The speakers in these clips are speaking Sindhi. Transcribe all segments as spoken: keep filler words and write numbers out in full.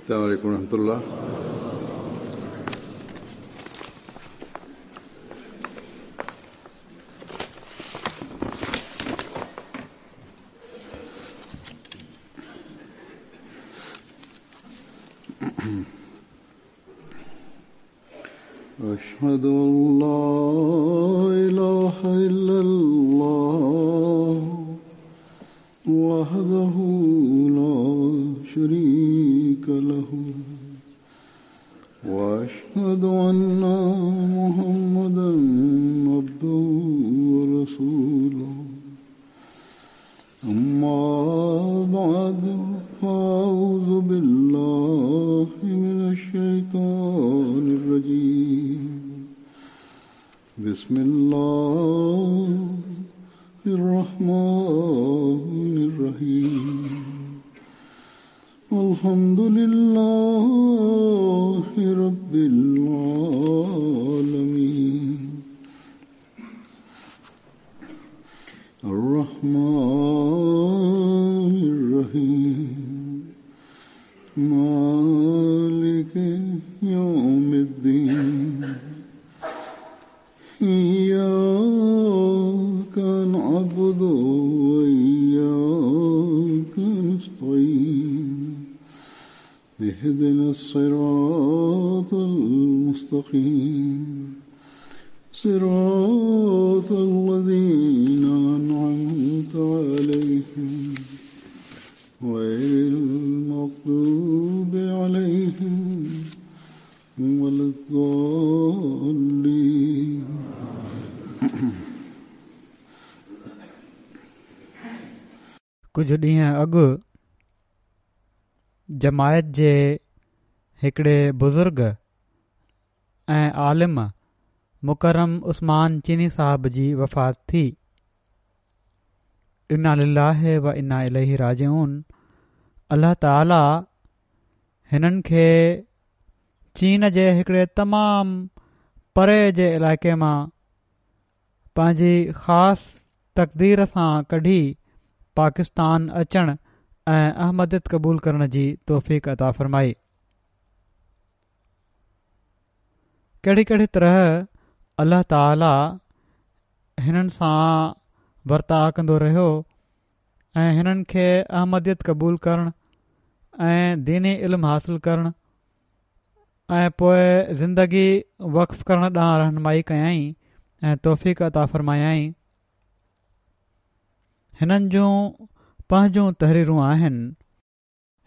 السلام عليكم ورحمة الله. أشهد أن لا إله إلا الله وحده لا شريك له وأشهد أن محمدا عبده ورسوله. أما بعد فأعوذ بالله من الشيطان الرجيم. بسم الله الرحمن الرحيم. الحمد لله رب العالمين الرحمن الرحيم مالك يوم الدين إياك نعبد وإياك نستعين اهدنا الصراط المستقيم صراط الذين أنعمت عليهم غير المغضوب عليهم ولا الضالين. ڪجهه ڏينهن اڳ جماعت جي هڪڙي بزرگ ۽ عالم مڪرم عثمان چيني صاحب جي وفات ٿي. انا لله و انا اليه راجعون. الله تعاليٰ هنن کي چين جي هڪڙي تمام پري جي علائقي مان پنهنجي خاص تقدير سان ڪڍي پاڪستان اچڻ ۽ احمديت قبول ڪرڻ جي توفيق عطا فرمائي. ڪهڙي ڪهڙي طرح الله تعاليٰ هنن سان ورتاءُ ڪندو رهيو ۽ هنن کي احمديت قبول ڪرڻ ۽ ديني علم حاصل ڪرڻ ۽ پوءِ زندگي وقف ڪرڻ ڏانهن رهنمائي ڪيائين ۽ توفيق عطا فرمايائين. هنن جون پنهنجون تحريرون آهن.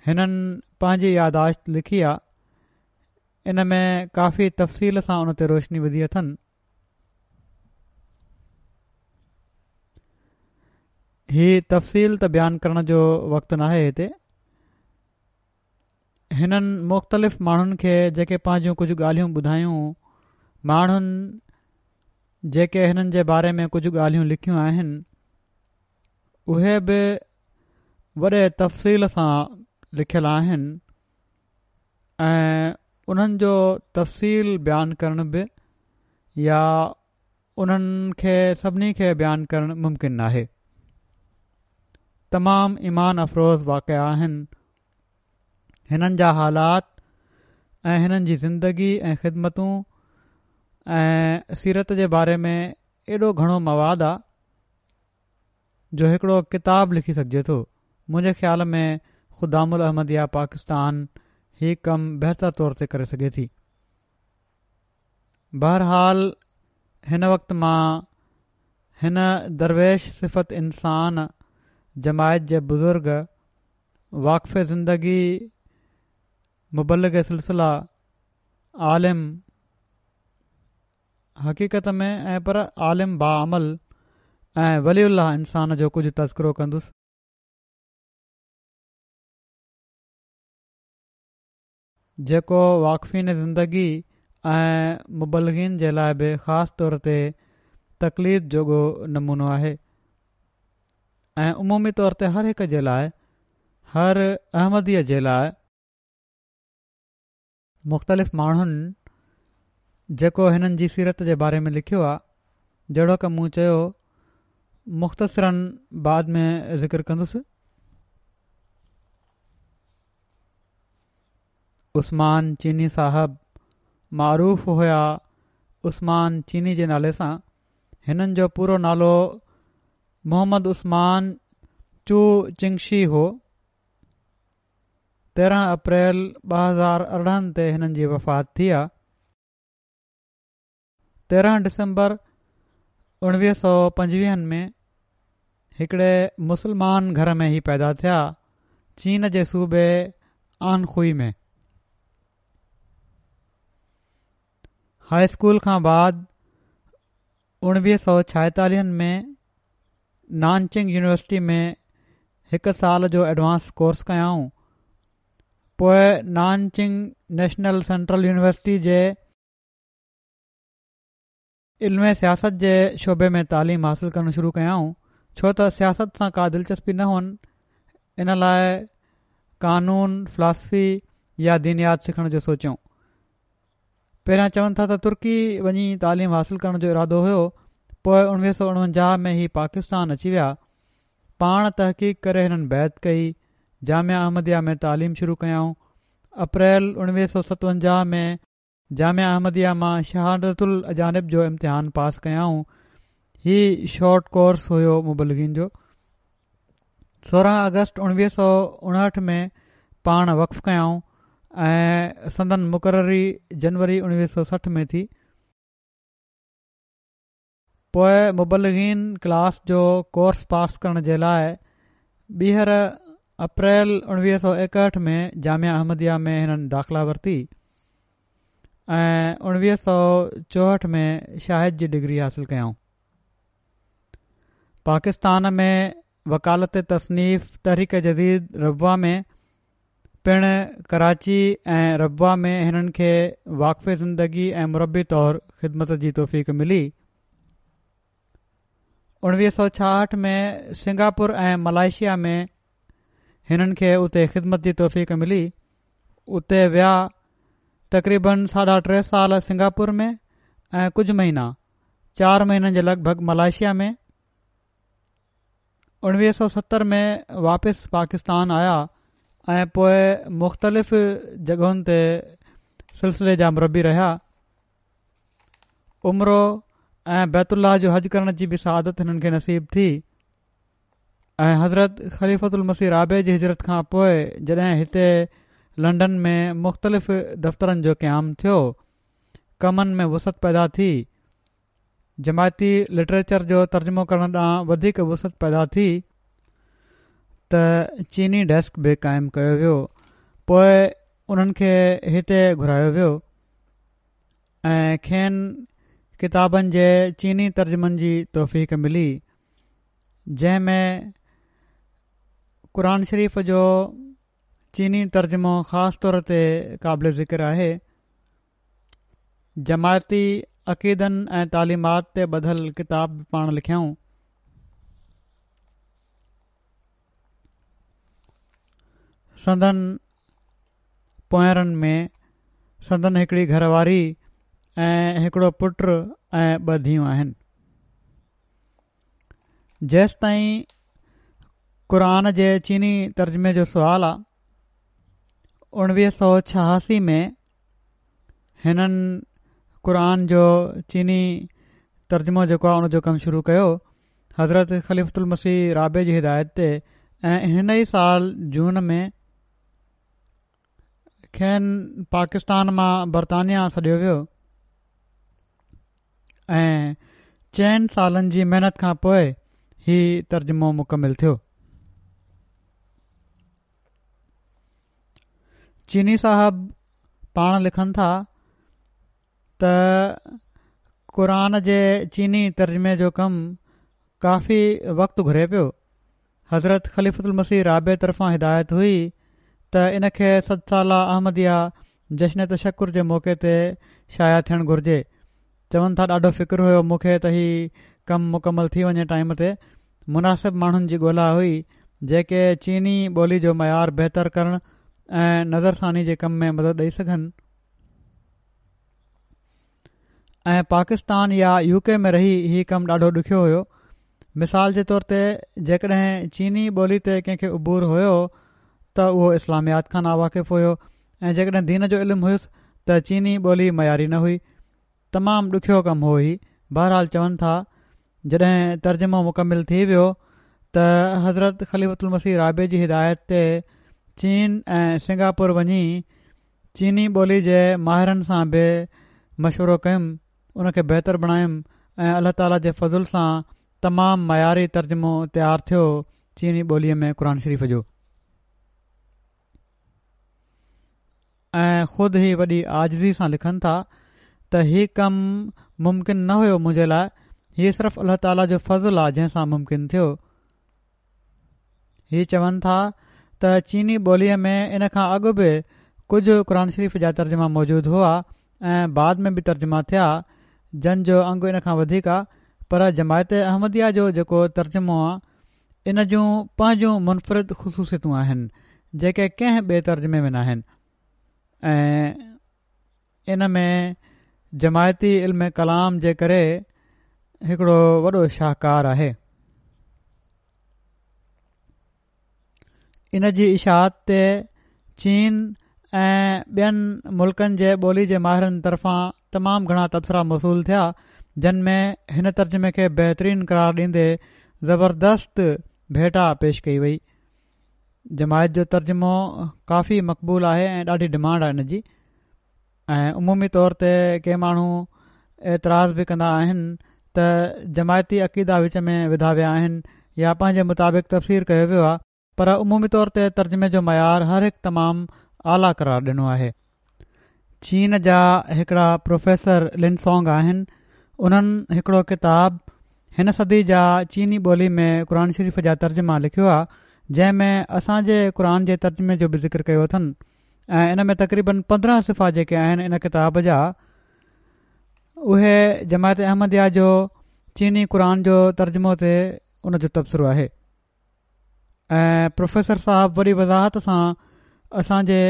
هنن پنهنجي ياداشت لکي آ. ان ۾ ڪافي تفصيل سان ان تي روشني وڌي اٿن. هي تفصيل ته بيان ڪرڻ جو وقت ناهي هتي. هنن مختلف ماڻهن کي جيڪي پنهنجون ڪجهه ڳالهيون ٻڌايون، ماڻهن جيڪي هنن جي باري ۾ ڪجهه ڳالهيون لکيون آهن، اهي به وڏي تفصيل سان لکيل آهن ۽ انهن جو تفصيل بيان ڪرڻ به يا انهن کي سڀني کي بيان ڪرڻ ممڪن ناهي. تمام ايمان افروز واقعا آهن. هنن جا حالات ۽ هنن جي زندگي ۽ خدمتون ۽ سيرت جي باري ۾ ايڏو گهڻو مواد آ جو هڪڙو ڪتاب لکي سگهجي ٿو. منهنجي خيال ۾ خدام الاحمديه پاڪستان هي ڪم بهتر طور تي ڪري سگهي ٿي. بهرحال هن وقت مان هن درويش صفت انسان جماعت جي بزرگ واقف زندگي مبلغ سلسله عالم حقيقت ۾ ۽ پر عالم باعمل ۽ ولي الله انسان جو ڪجهه تذڪرو ڪندس. جيڪو واقفين زندگي ۽ مبلغين جي لاءِ به خاص طور تي تقليد جوڳو نمونو آهي ۽ عمومي طور تي هر هڪ جي لاءِ، هر احمديءَ جي لاءِ. مختلف ماڻهن جيڪو هنن جي سيرت جي باري ۾ لکيو آهي، جهڙوڪ مون چيو مختصراً بعد ۾ ذڪر ڪندس. عثمان چيني صاحب معروف هيا عثمان چيني جي نالي سان. هنن جو پورو نالو محمد عثمان چو چنگشي هو. تيرهن اپريل ٻه هزار ارڙهن تي هنن جي وفات ٿي آ. تيرهن ڊسمبر اڻويهه سؤ پنجويهن ۾ هڪڙي مسلمان گهر ۾ هي پيدا ٿيا، چين جي صوبي آنخوئي ۾. هائي اسڪول کان بعد اڻويهه سؤ ڇائيتاليهن ۾ نانچنگ يونيورسٽي ۾ هڪ سال جو ايڊوانس ڪورس ڪيائون. پوءِ نانچنگ نيشنل سينٽرل يونيورسٽي جي علم سياست جي شعبي ۾ تعليم حاصل ڪرڻ شروع ڪيائون. ڇو ته سياست سان ڪا دلچسپي نه هئن، ان لاءِ قانون، فلاسفي يا دينيات سکڻ جو سوچيائون. پهريان چون ٿا ته ترڪي وڃي تعليم حاصل ڪرڻ جو ارادو هيو. پوءِ اڻويهه سؤ اڻونجاهه ۾ هي پاڪستان اچي ويا. پاڻ تحقيق ڪري هنن بيعت ڪئي. جامعه احمديه ۾ تعليم شروع ڪيائون. اپريل اڻويهه سؤ ستونجاهه ۾ جامعه احمديه مان شهادت الاجانب جو امتحان پاس ڪيائون. هي شارٽ ڪورس هيو مبلغين جو. سورهن اگست اڻويهه سؤ اڻهٺ ۾ پاڻ وقف ڪيائون ۽ سندن مقرري جنوري اڻويهه سؤ سٺ ۾ ٿي. پوءِ مبلغين ڪلاس جو ڪورس پاس ڪرڻ جي لاءِ ٻيهر اپريل اڻويهه سؤ ايڪهٺ ۾ جامعه احمديه ۾ هنن داخلا ورتي ۽ اڻويهه سؤ چوهٺ ۾ شاهد جي ڊگري حاصل ڪيائون. پاڪستان ۾ وڪالت تصنيف تحريڪ جديد ربوه ۾ پڻ ڪراچي ۽ ربوه ۾ هنن کي واقف زندگي ۽ مربي طور خدمت جي توفيق ملي. اڻويهه سؤ ڇاهٺ ۾ سنگاپور ۽ ملائيشيا ۾ هنن کي اتي خدمت جي توفيق ملي. اتي ويا تقريبن ساڍا ٽي سال سنگاپور ۾ ۽ ڪجهه مهينا چار مهينن جي لڳ ڀڳ ملائيشيا ۾. اڻويهه سؤ ستر ۾ واپس پاڪستان آيا ۽ پوءِ مختلف جڳهن تي سلسلي جا مربي رهيا. عمرو ۽ بيت الله جو حج ڪرڻ جي به سعادت هنن کي نصيب ٿي ۽ حضرت خليفة المسيح رابع جي هجرت کان پوءِ جڏهن هتي لنڊن ۾ مختلف دفترن جو قيام ٿيو، ڪمن ۾ وسعت پيدا ٿي، جماعتي لٽريچر جو ترجمو ڪرڻ ڏانهن وڌيڪ وسعت پيدا ٿي ته چيني ڊيسڪ به قائم ڪيو ويو. پوءِ انهن کي هتي گهرايو ويو ۽ کين ڪتابن جي چيني ترجمن جي توفيق ملي، جنهن ۾ قرآن شريف جو چيني ترجمو خاص طور تي قابل ذڪر آهي. جماعتي عقيدن ۽ تعليمات تي ٻڌل ڪتاب به پاڻ لکيائون. سندن پوئرن ۾ سندن هڪڙي گهر واري ۽ هڪڙو پٽ ۽ ٻه ڌيئون آهن. جيستائين قرآن جي چيني ترجمي جو سوال آ، اڻويهه سؤ ڇهاسي ۾ هنن قرآن جو چيني ترجمو جيڪو آ ان جو ڪم شروع ڪيو حضرت خليفة المسيح رابع جي هدايت تي ۽ هن ئي سال جون ۾ کين پاڪستان مان برطانيا سڏيو ويو ۽ چئن سالن جي محنت کان پوءِ هي ترجمو مڪمل ٿيو. چيني صاحب پاڻ لکن ٿا ته قرآن جي چيني ترجمي جو ڪم ڪافي وقت گهري پيو. حضرت خليفة المسيح رابع طرفان هدايت هئي ته ان کي صد ساله احمديه جشن تشڪر جي موقعي تي شايع ٿيڻ گهرجي. چون ٿا ڏاڍو فڪر هيو مون کي ته هي ڪم مڪمل ٿي وڃي ٽائيم تي. مناسب ماڻهن جي ڳولا هئي جيڪي چيني ٻولي جو معيار بهتر ڪرڻ ۽ نظرثاني جي ڪم ۾ مدد ڏئي سگهن ۽ پاڪستان يا يو ڪي ۾ رهي هي ڪم ڏاڍو ڏکيو هيو. مثال جي طور تي جيڪڏهن چيني ٻولي تي ڪنهن کي عبور هيو ته اهو اسلاميات کان ناواقف هيو ۽ جيڪڏهن دين جو علم هيس ته چيني ٻولي معياري نه هئي. تمام ڏکيو ڪم هو هي. بهرحال چون ٿا جڏهن ترجمو مڪمل ٿي ويو ته حضرت خليفة المسيح رابع جي هدايت تي چين ۽ سنگاپور وڃي چيني ٻولي جي ماهرن سان به مشورو ڪيم، ان کي بهتر بڻايم ۽ الله تعاليٰ جي فضل سان تمام معياري ترجمو تيار ٿيو چيني ٻوليء ۾ قرآن شريف جو. ۽ خود هي وڏي عاجزي سان لکن ٿا ته هي ڪم ممڪن نه هيو منهنجي لاء، هي صرف الله تعاليٰ جو فضل آ جنهن سان ممڪن ٿيو. هي چون ٿا ته چيني ٻوليء ۾ ان کان اڳ به ڪجهه قرآن شريف جا ترجما موجود هئا ۽ بعد ۾ به ترجما ٿيا جن جو انگ ان کان وڌيڪ آ، پر جماعت احمديه جو جيڪو ترجمو آ ان جون پنهنجون منفرد خصوصيتون آهن جيڪي ڪنهن ٻئي ترجمي ۾ ناهن ۽ ان ۾ جماعتي علم ڪلام جي ڪري هڪڙو وڏو شاهڪار آهي. ان جي اشاعت تي چين ۽ ٻين ملڪن جي ٻولي جي ماهرن طرفان تمام گهڻا تبصرا موصول ٿيا جن ۾ هن ترجمي کي بهترين قرار ڏيندي زبردست ڀيٽا پيش ڪئي وئي. جماعت جو ترجمو ڪافي مقبول آهي ۽ ڏاڍي ڊمانڊ آهي ان جي ۽ عمومي طور تي ڪي ماڻهو اعتراض به ڪندا آهن ته جماعتي عقيدا وچ ۾ وڌا ويا آهن يا پنهنجي مطابق تفسير ڪيو ويو آهي، پر عمومي طور تي ترجمي جو معيار هر هڪ تمام اعليٰ قرار ڏنو آهي. چين جا هڪڙا پروفيسر لن سونگ آهن، انهن هڪڙو ڪتاب هن صدي جا چيني ٻولي ۾ قرآن شريف جا ترجما لکيو آهي، جنهن ۾ اسان جي قرآن جي ترجمي جو به ذڪر ڪيو اٿن ۽ ان ۾ تقريبن پندرهن صفحا جيڪي آهن ان ڪتاب جا اهي جماعت احمديه جو چيني قرآن جو ترجمو تي ان جو تبصرو آهي ۽ پروفيسر صاحب وڏي وضاحت سان اسان جي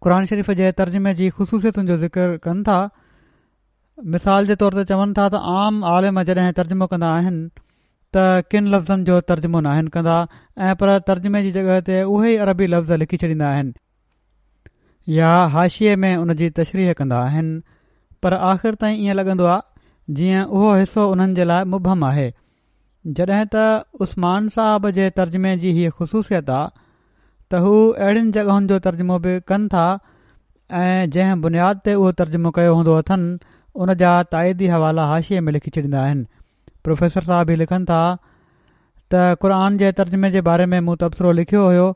قرآن شريف جي ترجمي جي خصوصيتن جو ذڪر ڪن ٿا. مثال جي طور تي چون ٿا ته عام عالم جڏهن ترجمو ڪندا آهن ته ڪن لفظن جو ترجمو ناهن ڪندا ۽ پر ترجمي جي جڳهه تي اهي ئي عربي لفظ لکي ڇڏيندا آهن يا حاشيي ۾ ان جي تشريح ڪندا آهن، پر آخر تائين ائين لڳندو آهي جيئن اهو حصو انهن جي لاء مبهم آهي. جڏهن ته عثمان صاحب جي ترجمي جي هيء خصوصيت آ ته هو اهڙين جڳهن جو ترجمو به ڪن ٿا ۽ جنهن بنياد تي اهو ترجمو ڪيو هوندو اٿن ان جا تائيدي حوالا حاشيي ۾ لکي ڇڏيندا آهن. پروفيسر صاحب هي لکن ٿا ته قرآن جي ترجمي جي باري ۾ مون تبصرو لکيو هيو،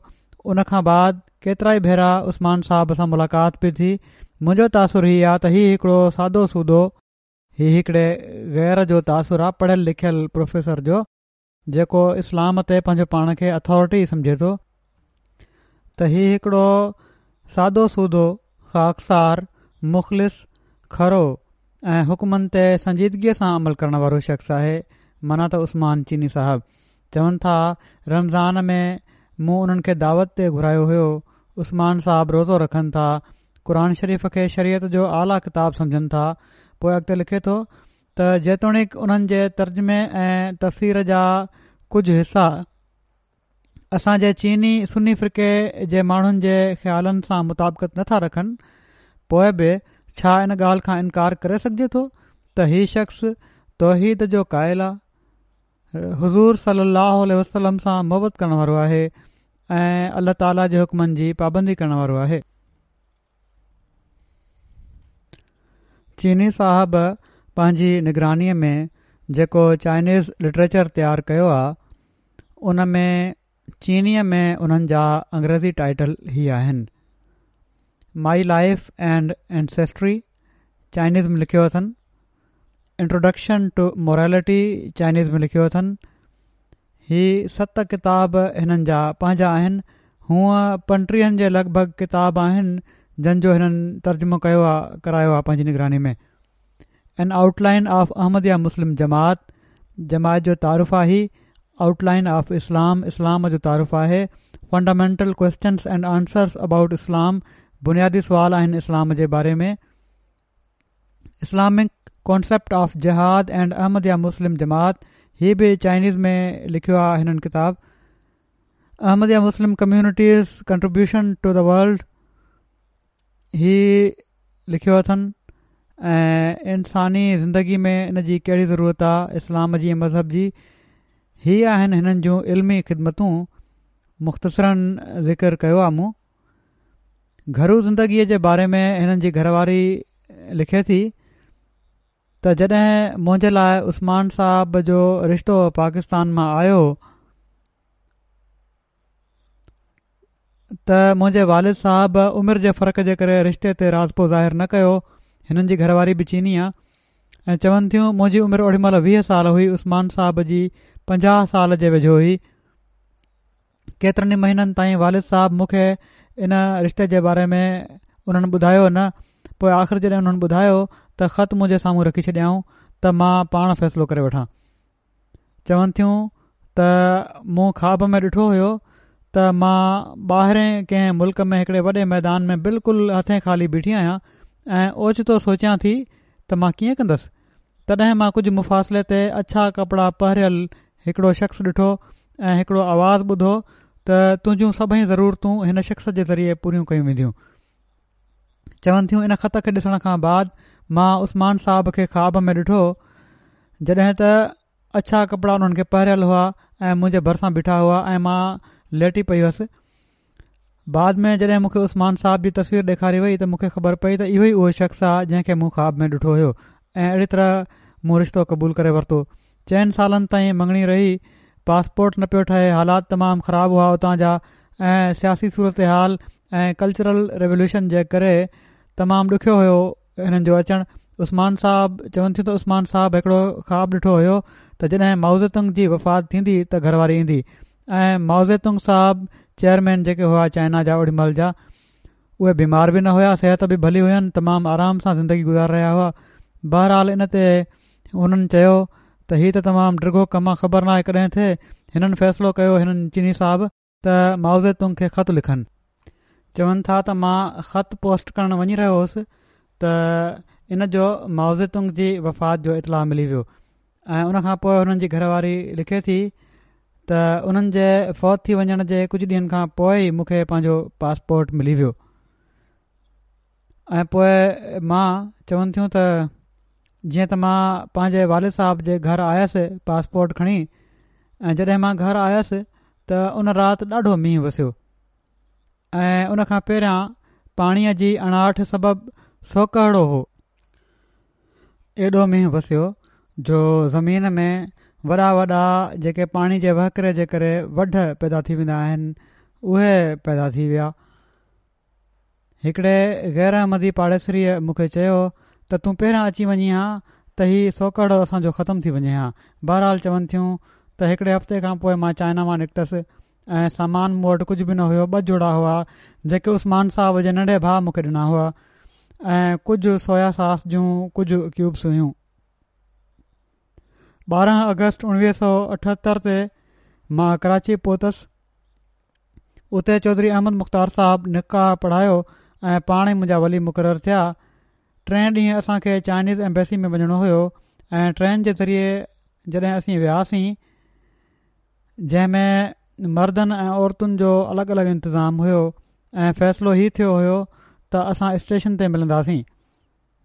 ان کان بعد ڪيترائي ڀيرا عثمان صاحب سان ملاقات به ٿي. منهنجو تاثر هي آ ته هي هڪڙو سادو سودو، هي هڪڙي غير جو تاثر آ پڙهيل لکيل پروفيسر جو، جيڪو اسلام تي پنهنجو پاڻ کي اٿارٽي سمجهي ٿو، ته هي هڪڙو سادو سودو، خاڪسار، مخلص، کرو ۽ حڪمن تي سنجيدگيء سان عمل ڪرڻ وارو شخص آهي. معنيٰ ته عثمان چيني صاحب چون ٿا رمضان ۾ مون انهن کي دعوت تي گهرايو هيو. عثمان صاحب روزو رکن ٿا، قرآن شريف کي شريعت جو اعليٰ ڪتاب سمجهن ٿا. پوء اڳتي لکي ٿو ته جيتوڻيڪ انهن جي ترجمي ۽ تفسير جا ڪجهه حصا اسان جي چيني سني فرقي جي ماڻهن جي خيالن سان مطابقت نٿا رکن، پوء به ڇا ان ڳالهه کان انڪار ڪري سگهجي ٿو ته هي شخص توحيد جو قائل آ، حضور صلي الله عليه وسلم سان محبت ڪرڻ وارو آهي ۽ الله تعاليٰ جي حڪمن جي پابندي ڪرڻ وارو آهي. چيني صاحب پنهنجي نگرانيء ۾ جيڪو چائنيز لٽريچر تيار ڪيو آ ان ۾ چينيء ۾ انهن جا انگريزي ٽائيٽل هي آهن، my life and ancestry, Chinese ۾ لکيو اٿن، انٽروڊڪشن ٽو مورالٽي، چائنيز ۾ لکيو اٿن. هي ست ڪتاب هنن جا پنهنجا آهن. هونء پنٽيهن جي لڳ ڀڳ ڪتاب آهن جن جو هنن ترجمو ڪيو آ ڪرايو آ پنهنجي نگراني ۾. An outline of Ahmadiyya Muslim Jamaat, جماعت جو تعارف آهي. آئوٽ لائن آف اسلام، اسلام جو تعارف آهي. Fundamental questions and answers about Islam, بنيادي سوال آهن اسلام جي باري ۾. Islamic concept of Jihad and Ahmadiyya Muslim Jamaat, هي به چائنيز ۾ لکيو آ هنن ڪتاب. Ahmadiyya Muslim community's contribution to the world, هي لکيو اٿن ۽ انساني زندگي ۾ ان جي ڪهڙي ضرورت آ اسلام جي مذهب جي. هي آهن هنن جون علمي خدمتون، مختصراً ذڪر ڪيو آ مون. گهرو زندگيء جي باري ۾ هنن جي گهرواري لکي ٿي ته جڏهن منهنجي لاء عثمان صاحب جو رشتو پاڪستان مان آيو ته منهنجي والد صاحب عمر جي فرق جي ڪري رشتي تي راضپو ظاهر نه ڪيو. هنن جي گهرواري به چيني آ ۽ چون ٿيون منهنجي عمر اوڏي مهل ويهه سال هئي، عثمان صاحب جي پنجاهه سال جي ويجهو هئي. ڪيترن ئي مهينن تائين والد صاحب مون کي ان رشتي جي باري ۾ انهن ٻڌايو نه، پوء آخر جڏهن انهن ٻڌايو ته خط منهنجي سامهون رکي ڇڏيائون ته مان پاڻ فيصلو ڪري وٺان. چون ٿيون ته مون خواب ۾ ڏٺو هيو ته مان ٻاهرين ڪنهن ملڪ ۾ هڪڙي وڏي ميدان ۾ بلڪل هٿين خالي بيٺي آهيان ۽ اوچتو سوچيان ٿي ته مان ڪيئن ڪندس. تڏهن مان ڪجهه مفاصلي تي اڇا ڪپڙا پهريل هڪڙو شخص ڏٺو ۽ هڪڙو آواز ٻڌو ته تنهنجون سڀئي ضرورتون هن شخص جي ذريعي پوريون ڪيون وينديون. چون ٿيون ان خط کي ڏسڻ کان بعد مان عثمان صاحب کي خواب ۾ ڏٺو جڏهن ته اڇا ڪپڙا انهن کي پهريل هئا ۽ منهنجي ڀرسان بيٺا هئا ۽ مان ليٽي پئي هئس. بعد ۾ جڏهن مون کي عثمان صاحب جي تصوير ڏيکاري وئي ته مون کي خبر پئي ته اهو ئي اهو شخص آهي جنهن کي مون خواب ۾ ڏٺو هيو ۽ اهڙي طرح مون رشتو قبول ڪري ورتو. چئن سالن تائين مڱڻي رهي، پاسپورٽ نه پيو ٺهي، حالات تمام خراب هئا اتان جا ۽ سياسي صورتحال ۽ ڪلچرل ريوليوشن جي ڪري تمام ڏکيو هيو هنن جو اچڻ. عثمان صاحب چون ٿيون ته عثمان صاحب هڪڙو خواب ڏٺو هيو ته جڏهن مائوزيتنگ جي وفات ٿيندي ته گهر واري ايندي ۽ مائوزيتنگ صاحب چيئرمين جيڪي هئا چائنا جا اوڏي مهل جا، اهي بيمار به نه هيا، صحت به ڀلي هين، تمام آرام سان زندگي گذاري رهيا هئا. بهرحال ان تي هنن چيو ته هي ته تمام ڊگهو ڪم آ، خبر ناهي ڪڏهن ٿئي. هنن فيصلو ڪيو هنن چيني صاحب ته مائوزيتنگ کي خط لکن. چون ٿا ته مان خط پوسٽ ڪرڻ وڃي رهيو هوس ته ان جو مائوزيتنگ جي وفات جو اطلاع ملي ويو ۽ ان کان پوء هنن جي گهر واري لکي ٿي ته انهن جي فوت ٿي وڃڻ جي ڪجهه ڏينهن کان پوء ئي مون کي پنهنجو پاسپورٽ ملي ويو ۽ پوء مان چون ٿيون ته جيئن ته مان پنهنجي والد صاحب جي گهر آيس پاسپورٽ کڻي ۽ جڏهن مان گهر آيس ته ان رات ڏاڍو مينهن وسيو ۽ ان کان پهريان پاڻيء جي اڻاٺ سبب سوڪهڙو هو. ايڏو مينهن وسيو جو زمين ۾ وڏا وڏا جيڪي پاڻي جي وهڪري جي ڪري وڍ پيدا ٿي ويندا آهن اهي پيدا ٿي ويا. هڪڙي غير احمدي پاڙيسريء مون کي چيو ته تون پهريان اچي وڃين ها ته هي سوڪهڙو اسان جو ختم ٿي وڃي ها. بهرحال چون ٿيون ته هڪڙي هفتي کان پوء مان چائنا مان نڪتس ۽ سامان مون وٽ ڪجهه به نه هيو، ٻه جوڙا هئا جيڪي عثمان صاحب جي ننڍي ڀاء مون کي ڏنا هئا ۽ ڪجهه سويا ساس جون ڪجهه ڪيوبس هيون. ٻارهن آگسٽ اڻويهه سؤ اٺهتر تي مان ڪراچي پهتس. اتي چوڌري احمد مختار صاحب نڪاح پڙهايو ۽ پاڻ ئي منهنجا ولي مقرر ٿيا. ٽئين ڏينهن اسان کي چائنيز ايمبيسي ۾ وڃڻو هيو ۽ ٽرين جي ذريعي جڏهن اسين وياسين جنهن ۾ مردن ۽ عورتن جو الڳ الڳ انتظام هيو ۽ فيصلو هي ٿيو هيو ته اسان اسٽيشن تي ملنداسين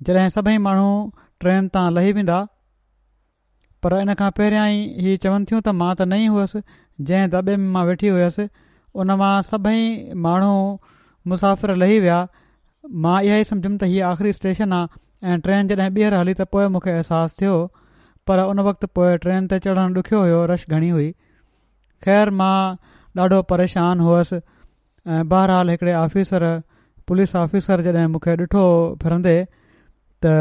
جڏهن سڀئي ماڻهو ٽرين تان لهي ويندا. پر ان کان پهريان ئي هي چون ٿيون ته مان ته نئين هئس، جنهن دٻي ۾ مان ويٺي هيس ان مان سڀئي ماڻهو مسافر لهي ويا، مان اها ئي سمجهيم ته هيء آخري اسٽيشن آ ۽ ٽرين جڏهن ٻيهر هلي ته پوء مون کي احساس ٿيو، پر ان وقت پوء ٽرين تي چڙهڻ ڏکيو هيو، رش گهڻي هئي. خير مان ڏاڍو پريشان هئس ۽ بهرحال هڪڙي آفيسر، پوليس آفيسر جڏهن مون کي ڏٺو ڦرندي ته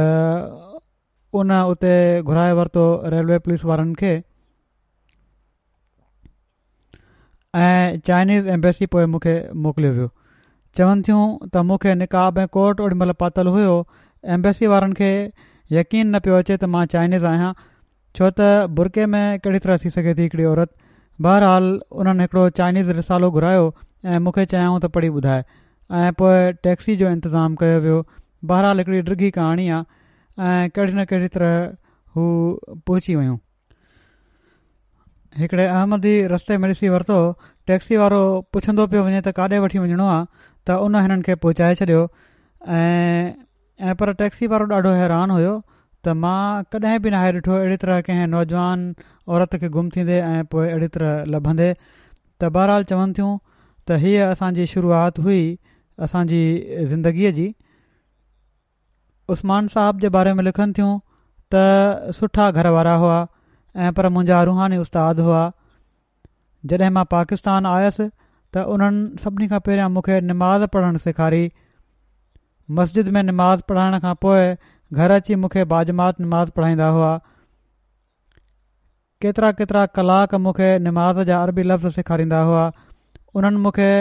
ان اتي گهرائي ورتو ريلوي پوليس وارن کي ۽ چائنيز ايمبيسي پوء مون کي موڪليو ويو. چون ٿيون ته مون کي نقاب ۽ ڪوٽ اوڏي مهل پاتل هيو، ايمبيسي وارن کي يقين نه پيو اچي ته مان چائنيز آهيان، ڇو ته برقعي ۾ ڪهڙي طرح ٿي سگهي ٿي هڪڙي عورت. بهرحال انهن هڪڙو چائنيز رسالو گهرايو ۽ مون کي چيائون ته پڙهي ٻڌاء ۽ پوء ٽيڪسي جو انتظام ڪيو ويو. بهرحال هڪڙي ڊگهي ڪهاڻي آ ۽ ڪهڙي نه ڪهڙي طرح هو پهچي ويون. هڪڙي احمدي رستي ۾ ڏسي ورتو، ٽيڪسي وارو پڇندو پيو وڃي ته ڪاڏي وٺي وڃڻو آ ته ان هنن کي پهچائي ڇڏيو ۽ ۽ پر ٽيڪسي وارو ڏاڍو حيران هيو ته مان ڪڏهن به ناهي ڏٺو اهڙي طرح ڪنهن نوجوان عورت کي گم ٿيندي ۽ پوء اهڙي طرح لڀندي. ته بهرحال چون ٿيون ته هيء اسان جي شروعات هئي اسان جي زندگيء جي. عثمان صاحب جي باري ۾ لکن ٿيون ته سٺا گهر وارا هئا ۽ پر منهنجا روحاني استاد هئا. جڏهن مان پاڪستان آيس ته انهن سڀني کان پهريان مون کي نماز پڙهڻ سيکاري. مسجد ۾ نماز پڙهائڻ کان پوء گهر اچي مون کي باجماعت نماز پڙهائيندا هئا. ڪيترا ڪيترا ڪلاڪ مون کي نماز جا عربي لفظ سيکاريندا هئا. انهن مون کي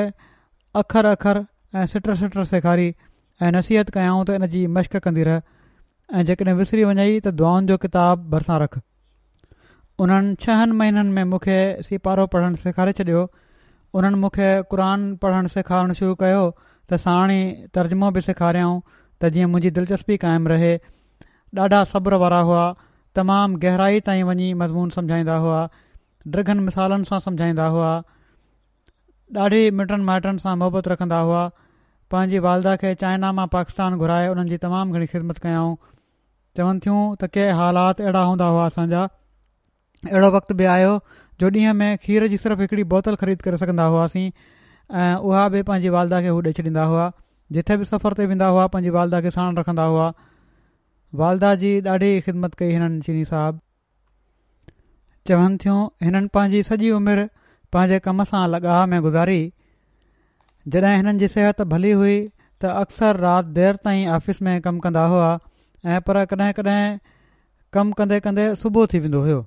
اکر اکر ۽ سٽ سٽ سيکاري ۽ نصيحت ڪيائون ته ان جي مشق ڪندي رهه ۽ جيڪڏهن وسري وڃئي ته دعائن جو ڪتاب ڀرسان رک. انهن ڇهن مهينن ۾ مون کي سيپارو پڙهڻ سيکاري ڇڏيو. انهن مون کي قرآن پڙهڻ سيکارڻ شروع ڪيو ته ساڻ ئي ترجمو به سيکاريائون ته جيئن منهنجي دلچسپي قائم رهي. ڏاڍا صبر وارا هئا. تمام گهرائي تائين وڃي مضمون سمجهائيندا هئا. ڊگهن مثالن سان سمجهائيندا هئا. ڏاڍي مٽن مائٽن سان محبت رکندا هئا. پنهنجي والده کي چائنا مان پاڪستان گهرائي انهن جي تمام گهڻي خدمت ڪيائون. چون ٿيون ته ڪي حالات اهڙا هوندا هئا اسان جا، اهڙو وقت به آيو جو ڏينهن ۾ کير جي صرف هڪڙي بوتل خريد ڪري سگهندا هئاسين ۽ اها به پنهنجي والده کي هو ڏئي ڇڏيندا هئا. جٿي به سفر تي ويندا هئا پنهنجي والده کي ساڻ رکندا هئا. والده جي ڏاڍي خدمت ڪئي هنن چيني صاحب. چون ٿيون هنن پنهنجي سڄي عمر پنهنجي ڪم سان لڳاء ۾ گذاري. جڏهن هنن جي صحت ڀلي هئي ته اڪثر رات دير تائين آفيس ۾ ڪم ڪندا هئا ۽ پر ڪڏهن ڪڏهن ڪم ڪندي ڪندي صبح ٿي ويندو هيو.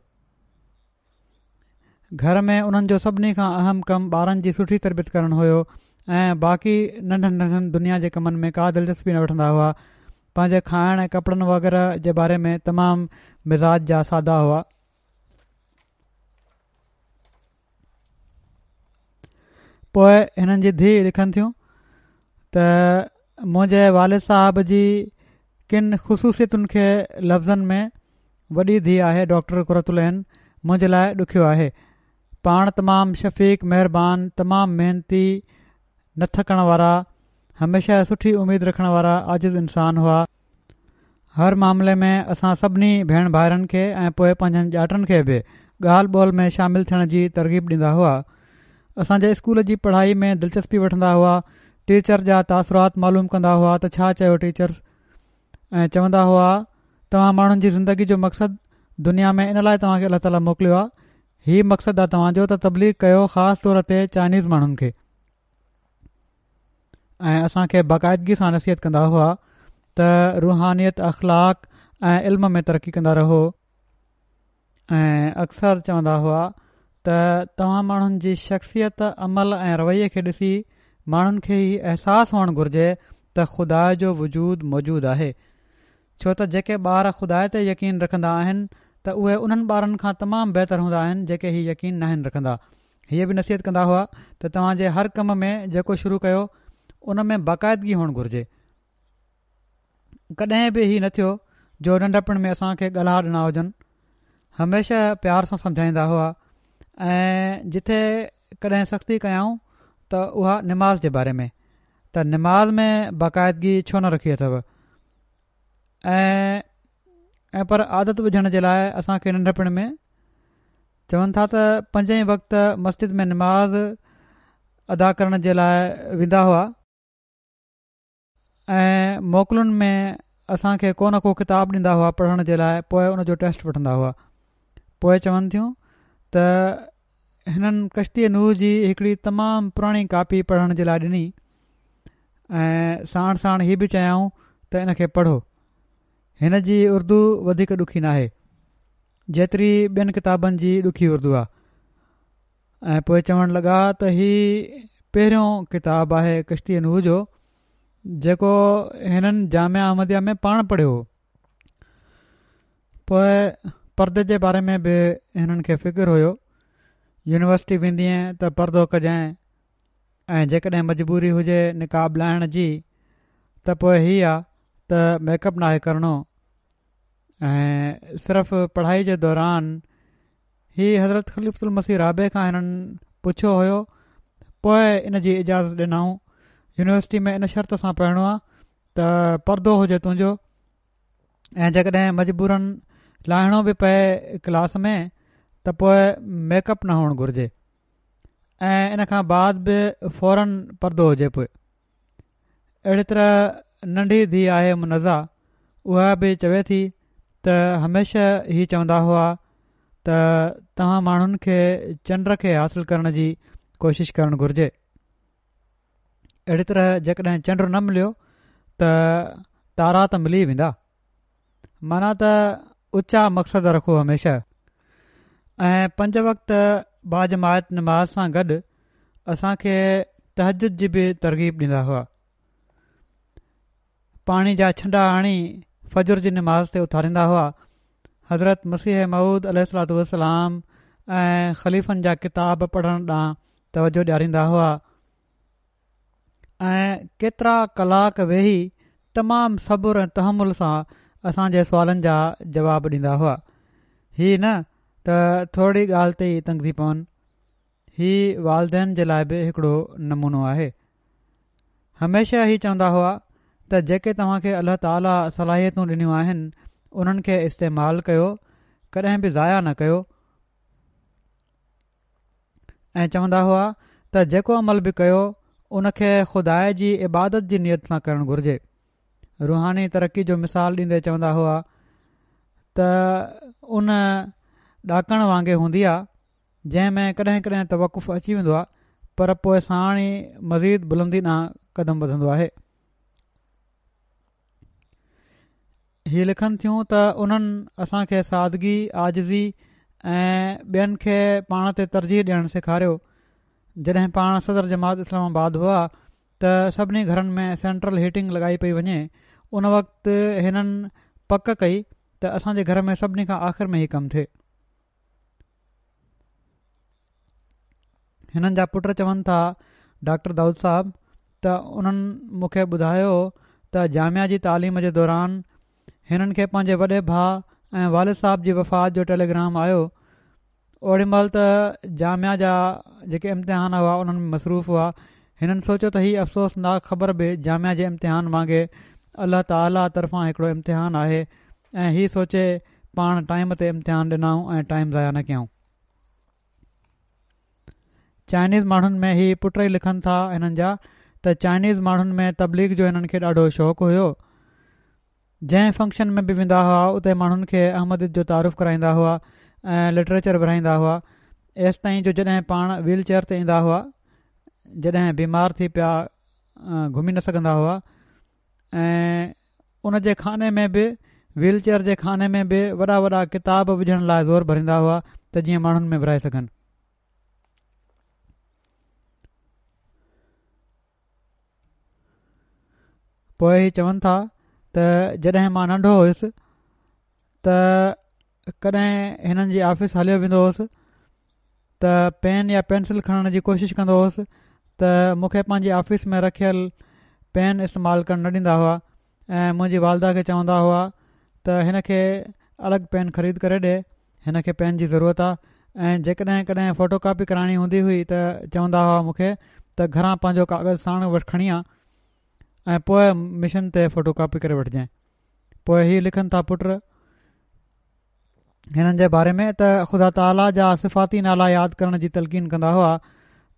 گهر ۾ انهن جو سڀني کان اهم ڪم ٻارن جي سٺي تربيت ڪرڻ هيو ۽ باقي ننڍن ننڍن دنيا جي ڪمن ۾ ڪا دلچسپي نه وٺندا هئا. پنهنجي کائڻ ۽ ڪپڙن وغيره جي باري ۾ تمام مزاج جا سادا هئا. پوء هنن جي ڌيء لکن ٿيون ته منهنجي والد صاحب جي ڪن خصوصيتن کي لفظن ۾ وڏي ڌيء آهي ڊاڪٽر قرة العين منهنجي لاء ڏکيو آهي. پاڻ تمام شفيق، مهربان، تمام محنتي، نه ٿڪڻ وارا، هميشه سٺي اميد رکڻ وارا عاجز انسان هئا. هر معاملي ۾ اسان سڀني ڀيڻ ڀائرن کي ۽ پوء پنهنجن ڄاٽن کي به ڳالهه ٻولهه ۾ شامل ٿيڻ جي ترغيب ڏيندا هئا. اسان جي اسڪول جي پڙهائي ۾ دلچسپي وٺندا هئا. ٽيچر جا تاثرات معلوم ڪندا هئا ته ڇا چيو ٽيچرز ۽ چوندا هئا توهان ماڻهن جي زندگي جو مقصد دنيا ۾ ان لاء توهان کي الله تعاليٰ موڪليو آهي، هي مقصد آهي توهان جو ته تبليغ ڪيو خاص طور تي چائنيز ماڻهن کي. ۽ اسان کي باقاعدگي سان نصيحت ڪندا هئا ته روحانيت، اخلاق ۽ علم ۾ ترقي ڪندا رهو ۽ اڪثر چوندا هئا ته توهان ماڻهن جي شخصيت، عمل ۽ رويي کي ڏسي ماڻهن کي هي احساس هئڻ گهرجي ته خدا جو وجود موجود آهي، ڇو ته جيڪي ٻار خدا تي يقين رکندا آهن ته اهي انهن ٻارن کان تمام بهتر هوندا آهن جيڪي هي يقين ناهن رکندا. هيء به نصيحت ڪندا هئا ته توهان جي هر ڪم ۾ جيڪو شروع ڪيو ان ۾ باقاعدگي هئڻ گهرجي. ڪڏهن به هي نه ٿيو جو ننڍپڻ ۾ اسان کي ڳالها ڏنا هجن. هميشه پيار سان سمجهائيندا هئا ۽ جٿي ڪڏهن سختي ڪيائون ته اها نماز جي باري ۾ ته نماز ۾ باقاعدگي ڇو نه رکي اٿو ۽ ۽ پر عادت وجهڻ جي لاء اسان کي ننڍپڻ ۾ چون ٿا ته پنجين وقت مسجد ۾ نماز ادا ڪرڻ جي لاء ويندا هئا ۽ موڪلن ۾ اسان کي ڪو نه ڪو ڪتاب ڏيندا هئا پڙهڻ جي لاء، پوء ان جو ٽيسٽ وٺندا هئا. پوء چون ٿيون ته هنن ڪشتي نوح جي هڪڙي تمام پراڻي ڪاپي پڙهڻ جي لاء ڏني ۽ ساڻ ساڻ هي به چيائون ته ان کي پڙهو، هن جي اردو وڌيڪ ڏکي ناهي جيتري ٻين ڪتابن جي ڏکي اردو آ. ۽ پوء چوڻ لڳا ته هي پهريون ڪتاب آهي ڪشتي نوح جو جيڪو هنن جامعه احمديه ۾ پاڻ پڙهيو هو. پوء پردي جي باري ۾ به هنن کي فڪر هيو، يونيورسٽي ويندينء ته پردو ڪجانء ۽ جيڪڏهن مجبوري هجي نقاب لاهڻ جي ته پوء هي آ ته ميڪ اپ ناهي ڪرڻو ۽ صرف پڙهائي جي دوران هي حضرت خليفة المسيح رابع کان هنن پڇيو هيو پوء ان جي اجازت ڏنائون. يونيورسٽي ۾ ان شرط سان پڙهڻو آ ته ته پردو هجي تنهنجو، ۽ جيڪڏهن مجبورن لاهڻو به پئي ڪلاس ۾ ته پوء ميڪ اپ نه هئڻ گهرجي، ۽ ان کان بعد به فورن پردو هجي. پوء اهڙي طرح ننڍي ڌيء آهي منزه، اها به چوي ٿي ته هميشه هي چوندا هئا ته توهان ماڻهن کي چنڊ کي حاصل ڪرڻ جي ڪوشش ڪرڻ گهرجي. اهڙي طرح جيڪڏهن چنڊ نه مليو ته تارا ته ملي ويندا. معنيٰ ته اچا مقصد رکو هميشه، ۽ پنج وقت باجماعت نماز سان گڏ اسان کي تهجد جي به ترغيب ڏيندا هئا. پاڻي جا ڇنڊا هڻي فجر جي نماز تي اٿاريندا هئا. حضرت مسيح موعود عليه الصلوة والسلام ۽ خليفن جا ڪتاب پڙهڻ ڏانهن توجه ڏياريندا هئا، ۽ ڪيترا ڪلاڪ ويهي تمام صبر ۽ تحمل سان اسان جي سوالن جا جواب ڏيندا هئا. هي نه ته ٿورڙي ڳالهه تي ئي تنگ ٿي پون. هي والدين جي لاءِ به هڪڙو نمونو آهي. هميشه هي چوندا هئا ته جيڪي توهان کي الله تعاليٰ صلاحيتون ڏنيون آهن انهن کي استعمال ڪيو، ڪڏهن به ضايع نه ڪيو. ۽ چوندا هئا ته جيڪو عمل به ڪيو ان کي خدا جي عبادت جي نيت سان ڪرڻ گهرجي. روحاني ترقي جو مثال ڏيندي چوندا هئا ته ان ڏاڪڻ وانگي هوندي آ جنهن ۾ ڪڏهن ڪڏهن توقف اچي ويندو آ، پر پوءِ ساڻ ئي مزيد بلندي ڏانهن قدم وڌندو آهي. هي لکن ٿيون ته انهن اسان کي سادگي، عاجزي ۽ ٻين کي پاڻ تي ترجيح ڏيڻ سيکاريو. جڏهن پاڻ صدر جماعت اسلام آباد هئا ته سڀني گهرن ۾ سينٽرل هيٽنگ لڳائي پئي وڃي. ان وقت هنن پڪ ڪئي ته اسان جي گهر ۾ سڀني کان آخر ۾ هي ڪم ٿئي. هنن جا پٽ چون ٿا ڊاڪٽر دائود صاحب ته انهن مون کي ٻڌايو ته جامعه جي تعليم جي دوران هنن کي پنهنجي وڏي ڀاءُ ۽ والد صاحب جي وفات جو ٽيليگرام آيو. اوڏي مهل ته جامعه جا جيڪي امتحان هئا انهن ۾ مصروف هئا. هنن سوچيو ته هي افسوسناڪ خبر به جامعه جي امتحان وانگي الله تعاليٰ طرفان هڪڙو امتحان آهي، ۽ هي سوچي پاڻ ٽائيم تي امتحان ڏنائون ۽ ٽائيم ضايع نه ڪيائون. چائنيز ماڻهن ۾ هي پٽ ئي لکن ٿا هنن جا ته چائنيز ماڻهن ۾ تبليغ جو هنن کي ڏاڍو شوق هيو. جنهن فنڪشن ۾ به ويندا هئا اتي ماڻهن کي احمديت جو تعارف ڪرائيندا هئا ۽ لٽريچر ورهائيندا هئا. ايستائين جو جڏهن پاڻ ويل چيئر تي ايندا هئا، جڏهن بيمار ٿي پيا گهمي نه سگهندا هئا، ۽ ان جي خاني ۾ به ويل چيئر جي خاني ۾ به وڏا وڏا ڪتاب وجهڻ لاءِ زور ڀريندا هئا ته جيئن ماڻهن ۾ ورهائي سگهن. پوءِ هي چون ٿا ته جڏهن مان ننڍو هيس ته ڪڏهن هنن جي آفيس هليو ويندو هوس ته پين يا پينسل کڻڻ جي ڪوشش ڪندو هوس ته مون کي پنهنجي آفيس ۾ رکيل پين استعمال ڪرڻ نه ڏيندا هئا، ۽ منهنجي والده کي چوندا هئا ته هن کي الڳ پين خريد ڪري ڏي، هن کي پين جي ضرورت آهي. ۽ جيڪڏهن ڪڏهن فوٽو ڪاپي ڪرائڻي هوندي هئي ته چوندا هئا مون کي ته گهران پنهنجو ڪاغذ ساڻ وٺ کڻي آ ۽ پوءِ مشن تي فوٽو ڪاپي ڪري وٺجانءِ. پوءِ هي لکن ٿا پٽ هنن جي باري ۾ ته خدا تعاليٰ جا صفاتي نالا ياد ڪرڻ جي تلقين ڪندا هئا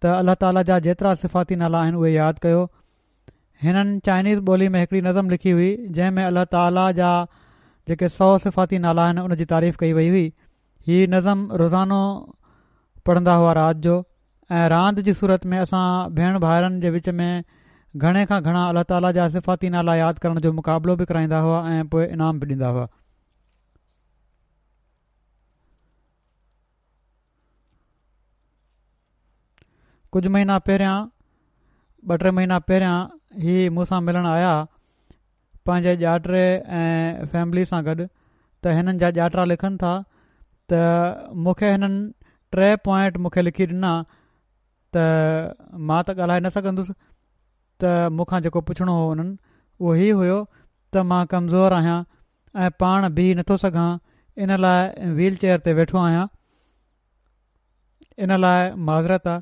ته الله تعاليٰ جا جيترا صفاتي نالا آهن اهي ياد ڪيو. هنن چائنيز ٻولي ۾ هڪڙي نظم لکي هئي جنهن ۾ الله تعاليٰ جا جيڪي سؤ صفاتي نالا آهن ان جي تعريف ڪئي وئي هئي. هي نظم روزانو پڙهندا هئا رات جو، ۽ راند جي صورت ۾ اسان ڀيڻ ڀائرن جي وچ ۾ گهڻي کان گهڻا الله تعاليٰ جا صفاتي نالا ياد ڪرڻ جو مقابلو به ڪرائيندا هئا ۽ پوءِ انعام به ڏيندا هئا. ڪجهه مهينا پهريان، ٻه ٽي مهينا پهريان هي مون سان ملڻ آيا پنهنجي ڄاٽري ۽ فيملي سان گڏ، ته هنن جا ڄاٽرا لکن ٿا ته مون کي هنن ٽي پوائنٽ مون کي لکي ڏنا ته مان ته ڳالهائي نه سگهندس، ته مون کان جيڪو پڇڻو هو انهن اهو هي هيو ته مان ڪمزور آهيان ۽ پاڻ بيهي نٿو سگهان، ان لاءِ ويل چيئر تي ويٺو آهيان، ان لاءِ معذرت آ.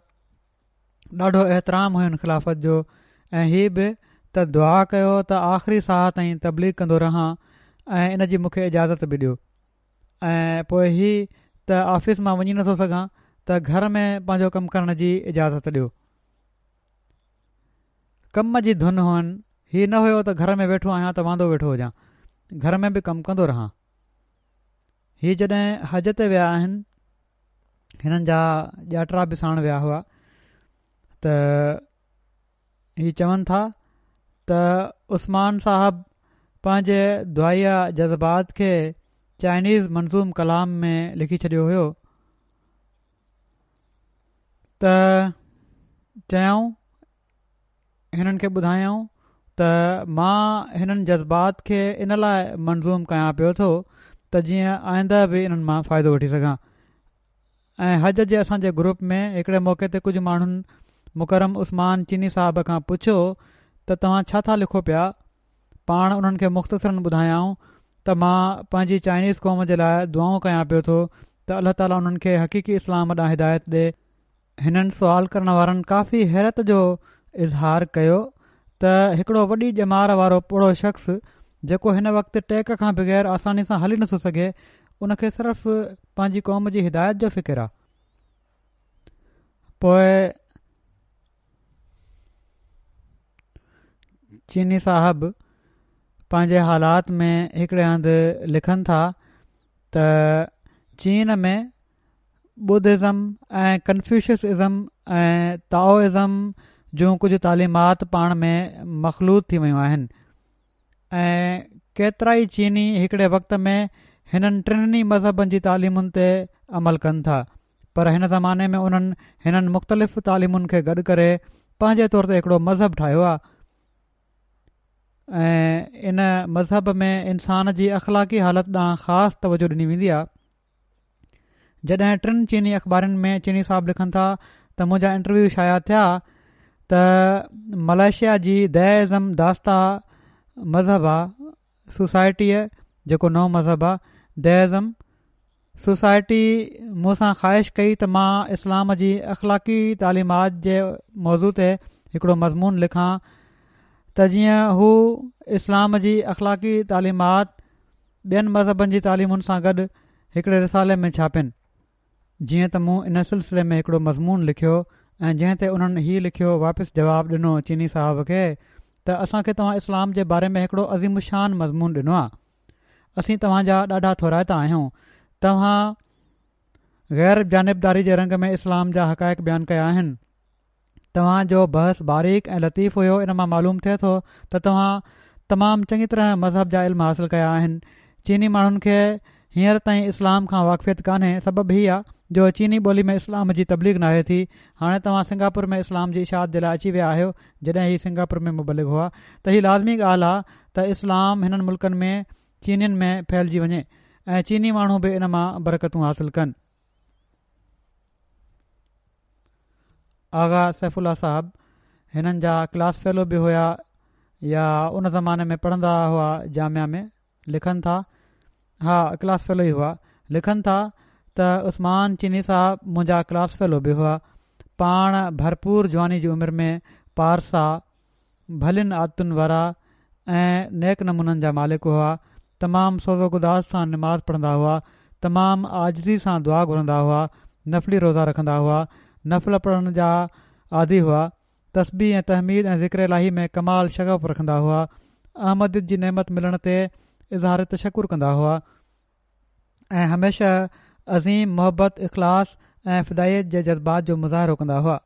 ڏاڍو احترام هين خلافت جو، ۽ هي به ته ته دعا ڪيو ته آخري ساهه تائين تبليغ ڪندو رهان ۽ ان جي مون کي اجازت به ڏيو. ۽ پوء هي ته آفيس مان وڃي نٿو سگهان ته گهر ۾ پنهنجو ڪم ڪرڻ جي اجازت ڏيو. ڪم جي ڌن هئن، هي نه هيو ته گهر ۾ ويٺو آهيان ته واندو ويٺو هجان، گهر ۾ به ڪم ڪندو رهان. هي جڏهن حج تي ويا آهن، هنن جا ڄاٽرا به ساڻ ويا هئا، ته هي چون ٿا ته عثمان صاحب پنهنجي دعائيه جذبات کي چائنيز منظوم ڪلام ۾ لکي ڇڏيو هيو ته چيائون، هنن کي ٻڌايائون ته مان هنن جذبات کي ان لاءِ منظوم ڪيان پيو ٿو ته جيئن آئنده به انهن مان فائدو وٺي سگهان. ۽ حج جي اسان جي گروپ ۾ هڪڙي موقعي تي ڪجهه ماڻهن مڪرم عثمان چيني صاحب کان پڇيو ته توهان ڇا ٿا لکو پيا؟ پاڻ انهن کي مختصراً ٻڌايائون ته مان پنهنجي چائنيز قوم جي لاءِ دعائون ڪيان پيو ٿو ته الله تعاليٰ انهن کي حقيقي اسلام ڏانهن هدايت ڏي. هنن سوال ڪرڻ وارن ڪافي حيرت جو اظهار ڪيو ته هڪڙو وڏي ڄمار وارو پوڙهو شخص جيڪو هن وقت ٽيڪ کان بغير آساني سان هلي نٿو سگهي، ان کي صرف پنهنجي قوم جي هدايت جو فڪر آهي. پوءِ چيني صاحب پنهنجي حالات ۾ هڪڙي هنڌ لکن ٿا ته چين ۾ ٻڌزم ۽ ڪنفيوشس ازم ۽ تائوازم جون ڪجهه تعليمات پاڻ ۾ مخلوط ٿي ويون آهن ۽ ڪيترائي چيني هڪڙي وقت ۾ هنن ٽنهي مذهبن جي تعليمن تي عمل ڪن ٿا، پر هن زماني ۾ انهن هنن مختلف تعليمن کي گڏ ڪري پنهنجي طور تي هڪڙو مذهب ٺاهيو آهي ۽ ان مذهب ۾ انسان جي اخلاقي حالت ڏانهن خاص توجه ڏني ويندي آهي. جڏهن ٽن چيني اخبارن ۾ چيني صاحب لکن ٿا ته منهنجا انٽرويو شايع ٿيا ته ملائيشيا جي ديازم داستا مذهب آ سوسائٽيءَ، جيڪو نئون مذهب آ ديازم سوسائٽي، مون سان خواهش ڪئي ته مان اسلام جي اخلاقي تعليمات جي موضوع تي هڪڙو مضمون لکان ته جيئن هو اسلام جي اخلاقي تعليمات ٻين مذهبن جي تعليمن سان گڏ هڪڙي رسالي ۾ ڇاپين. جيئن ته مون ان سلسلي ۾ هڪڙو مضمون لکيو ۽ جنهن تي انهن هي لکيو واپس جواب ڏنو چيني صاحب کي ته اسان کي توهان اسلام جي باري ۾ هڪڙو عظيم الشان مضمون ڏنو آهي، اسين توهان جا ڏاڍا ٿورائتا آهيون، توهان غير جانبداري جي رنگ ۾ اسلام جا حقائق بيان ڪيا آهن، توهان جو بحث باريڪ ۽ لطيف هيو، ان مان معلوم ٿئي ٿو ته توهان تمام چڱي طرح مذهب جا علم حاصل ڪيا آهن. چيني ماڻهن کي هينئر تائين اسلام کان واقفيت ڪانهي، سبب هي آ جو چيني ٻولي ۾ اسلام جي تبليغ ناهي ٿي. هاڻي توهان سنگاپور ۾ اسلام جي اشاعت جي لاءِ اچي ويا آهيو، جڏهن هي سنگاپور ۾ مبلغ هئا ته هي لازمي ڳالهه آ ته اسلام هنن ملڪن ۾ چينين ۾ ڦهلجي وڃي ۽ چيني ماڻهو به ان مان برڪتون حاصل ڪن. آغا سيف الله صاحب هنن جا ڪلاس فيلو به هيا يا ان زماني ۾ پڙهندا هئا جامعه ۾، لکن ٿا، ها ڪلاس فيلو ئي هئا، لکن ٿا ته عثمان چيني صاحب منهنجا ڪلاس فيلو به هئا، پاڻ ڀرپور جواني جي عمر ۾ پارسا، ڀلين عادتن وارا ۽ نيڪ نمونن جا مالڪ هئا، تمام سوز و گداز سان نماز پڙهندا هئا، تمام عاجزي سان دعا گهرندا هئا، نفلي روزا رکندا هئا، نفل پڙهڻ جا عادي هئا، تسبيح ۽ تحميد ۽ ذڪر الاهي ۾ ڪمال شغف رکندا هئا، احمديت جي نعمت ملڻ تي اظهار تشڪر ڪندا هئا ۽ هميشه عظيم محبت، اخلاص ۽ فدائيت جي جذبات جو مظاهرو ڪندا هئا.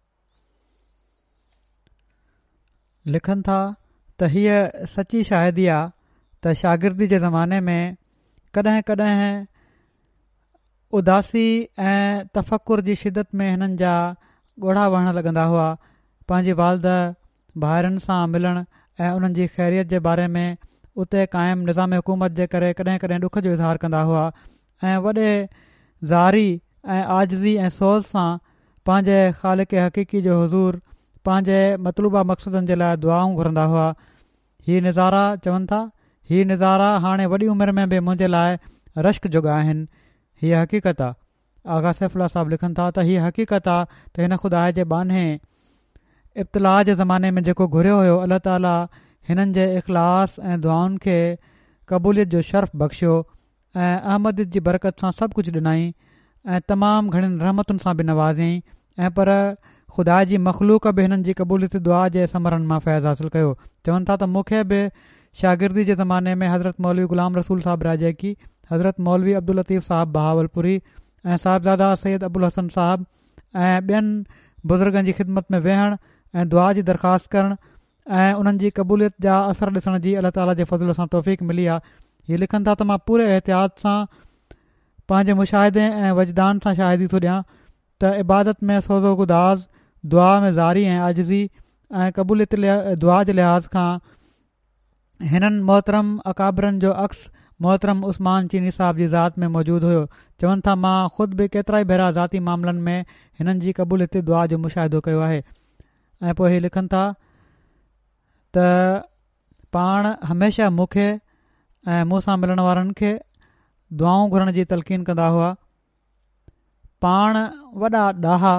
لکن ٿا ته هيءَ سچي شاهدي آ ته شاگردي جي زماني ۾ ڪڏهن ڪڏهن اداسي ۽ تفڪر جي شدت ۾ هنن جا ڳوڙها وهڻ لڳندا هئا. پنهنجي والده، ڀائرن سان ملڻ ۽ انهن جي خيريت جي باري ۾ اتي قائم نظام حڪومت جي ڪري ڪڏهن ڪڏهن ڏک جو اظهار ڪندا هئا ۽ وڏي زاري ۽ عاجزي ۽ سوز سان پنهنجي خالق حقيقي جو حضور پنهنجي مطلوبه مقصدن جي لاءِ دعائون گهرندا هئا. هي نظارا چون ٿا، هي نظارا هاڻي وڏي عمر ۾ به منهنجي لاءِ رشڪ جوڳا آهن. هيءَ حقيقت آ. آغا سيف الله صاحب لکن ٿا ته هيءَ حقيقت آ ته هن خدا جي ٻانهي ابتلاءَ جي زماني ۾ جيڪو گهريو هيو الله تعاليٰ هنن جي اخلاص ۽ دعائن کي قبوليت جو شرف بخشيو ۽ احمديت جي برڪت سان سڀ ڪجهه ڏنائين ۽ تمام گهڻين رحمتن سان به نوازيائين ۽ پر خدا جي مخلوق به هنن جي قبوليت دعا جي ثمرن مان فيض حاصل ڪيو. چون ٿا ته مون کي به شاگردي جي زماني ۾ حضرت مولوي غلام رسول صاحب راڄڪي، حضرت مولوي عبداللطيف صاحب بهاولپوري ۽ صاحبزاده سيد ابوالحسن صاحب ۽ ٻين بزرگن جي خدمت ۾ ويهڻ ۽ دعا جي درخواست ڪرڻ ۽ انهن جي قبوليت جا اثر ڏسڻ جي الله تعاليٰ جي فضل سان توفيق ملي آهي. هي لکن ٿا ته مان پوري احتياط سان پنهنجي مشاهدي ۽ وجدان سان شاهدي ٿو ڏيان ته عبادت ۾ سوز و گداز، دعا ۾ زاري ۽ عاجزي ۽ قبوليت دعا جي لحاظ کان هنن محترم اڪابرن جو عڪس محترم عثمان چيني صاحب جي ذات ۾ موجود هيو. چون ٿا مان خود به ڪيترائي ڀيرا ذاتي معاملن ۾ هنن جي قبوليت دعا جو مشاهدو ڪيو آهي. ۽ پوء هي لکن ٿا ته پاڻ هميشه مون کي ۽ مون سان ملڻ وارن کي دعائون گهرڻ جي تلقين ڪندا هئا. پاڻ وڏا ڏاها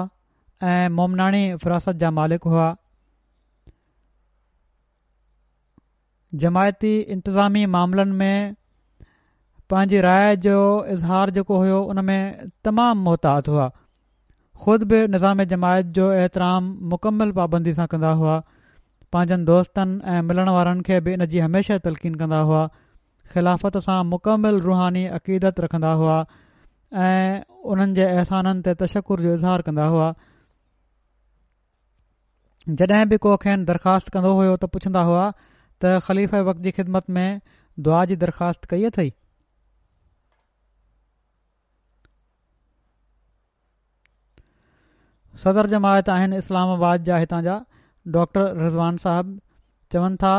۽ مومناڻي فراست جا مالڪ هئا. جماعتي انتظامي معاملن ۾ پنهنجي راءِ جو اظهار جيڪو هيو ان ۾ تمام محتاط هئا. خود به نظام جماعت جو احترام مڪمل پابندي سان ڪندا هئا. پنهنجن دوستن ۽ ملڻ وارن کي به ان جي هميشه تلقين ڪندا هئا. خلافت سان مڪمل روحاني عقيدت رکندا هئا ۽ انهن جي احسانن تي تشڪر جو اظهار ڪندا هئا. جڏهن به ڪو کين درخواست ڪندو هيو ته پڇندا هئا ته خليفه وقت جي خدمت ۾ دعا جي درخواست ڪئي اٿئي؟ صدر جماعت آهن اسلام آباد جا هتان جا ڊاڪٽر رضوان صاحب چون ٿا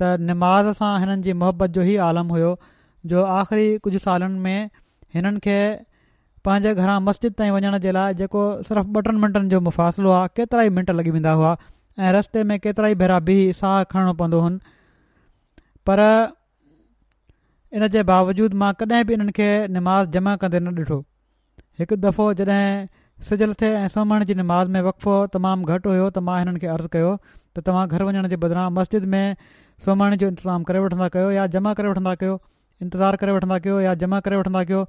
ته نماز سان هنن جي محبت جو هي عالم هيو جو آخري ڪجهه سالن ۾ هنن کي پنهنجي گهران مسجد تائين وڃڻ جي لاء جيڪو صرف ٻه ٽن منٽن جو مفاصلو آهي ڪيترائي منٽ لڳي ويندا هئا ۽ رستي ۾ ڪيترائي ڀيرا بيهي ساهه کڻڻو پوندو هن، پر ان جي باوجود مان ڪڏهن به انهن کي نماز جمع ڪندي نه ڏٺو. هڪ دفعو جڏهن سج لٿي ۽ سومهڻي جي نماز ۾ وقفو تمام گهٽ هيو ته مان هنن کي عرض ڪيو ته توهان گهر وڃڻ جي بدران مسجد ۾ سومهڻي جو انتظام ڪري وٺندا ڪيو يا جمع ڪري وٺندا ڪيو انتظار ڪري وٺندا ڪيو يا جمع ڪري وٺندا ڪيو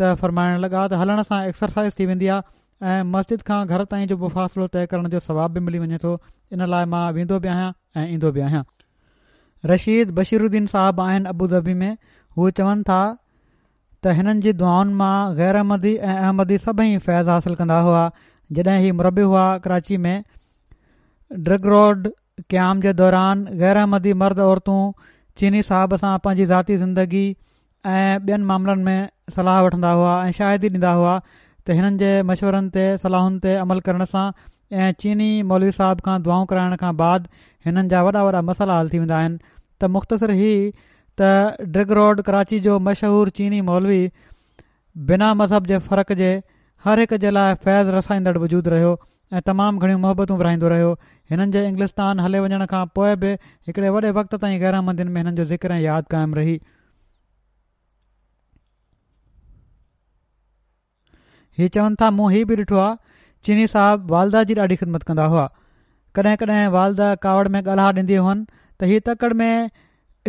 ته فرمائڻ لڳا ته هلڻ سان ايڪسرسائز ٿي ويندي آهي ۽ مسجد کان گهر تائين جو مفاصلو طئي ڪرڻ جو ثواب به ملي وڃي ٿو، ان لاء مان ويندو به آهيان ۽ ايندو به آهيان. رشيد بشير الدين صاحب آهن ابوظهبي ۾ هو چون ٿا ته هنن جي دعائن مان غير احمدي ۽ احمدي سڀئي فيض حاصل ڪندا هئا. جڏهن هي مربي هئا ڪراچي ۾ ڊرگ روڊ قيام جي دوران غير احمدي مرد عورتون چيني صاحب سان پنهنجي ذاتي زندگي ۽ ٻين معاملن ۾ صلاح وٺندا هئا ۽ شاهدي ڏيندا هئا ته هنن جي مشورن تي صلاحن تي عمل ڪرڻ سان ۽ چيني مولوي صاحب کان دعائون ڪرائڻ کان بعد هنن جا وڏا وڏا مسئلا حل ٿي ويندا آهن ته مختصر هي ته ڊرگ روڊ ڪراچي جو مشهور چيني مولوي بنا مذهب جي فرق جي هر هڪ جي لاء فيض رسائيندڙ وجود رهيو ۽ تمام گهڻيون محبتون ورهائيندو رهيو. هنن جي انگلستان هلي وڃڻ کان پوء به هڪڙي وڏي وقت تائين غير احمدين ۾ هنن جو ذڪر ۽ ياد قائم رهي. هي چون ٿا مون هي به ڏٺو آ چيني صاحب والده جي ڏاڍي خدمت ڪندا هئا ڪڏهن ڪڏهن والده ڪاوڙ ۾ ڳالها ڏيندي هئن ته هي تڪڙ ۾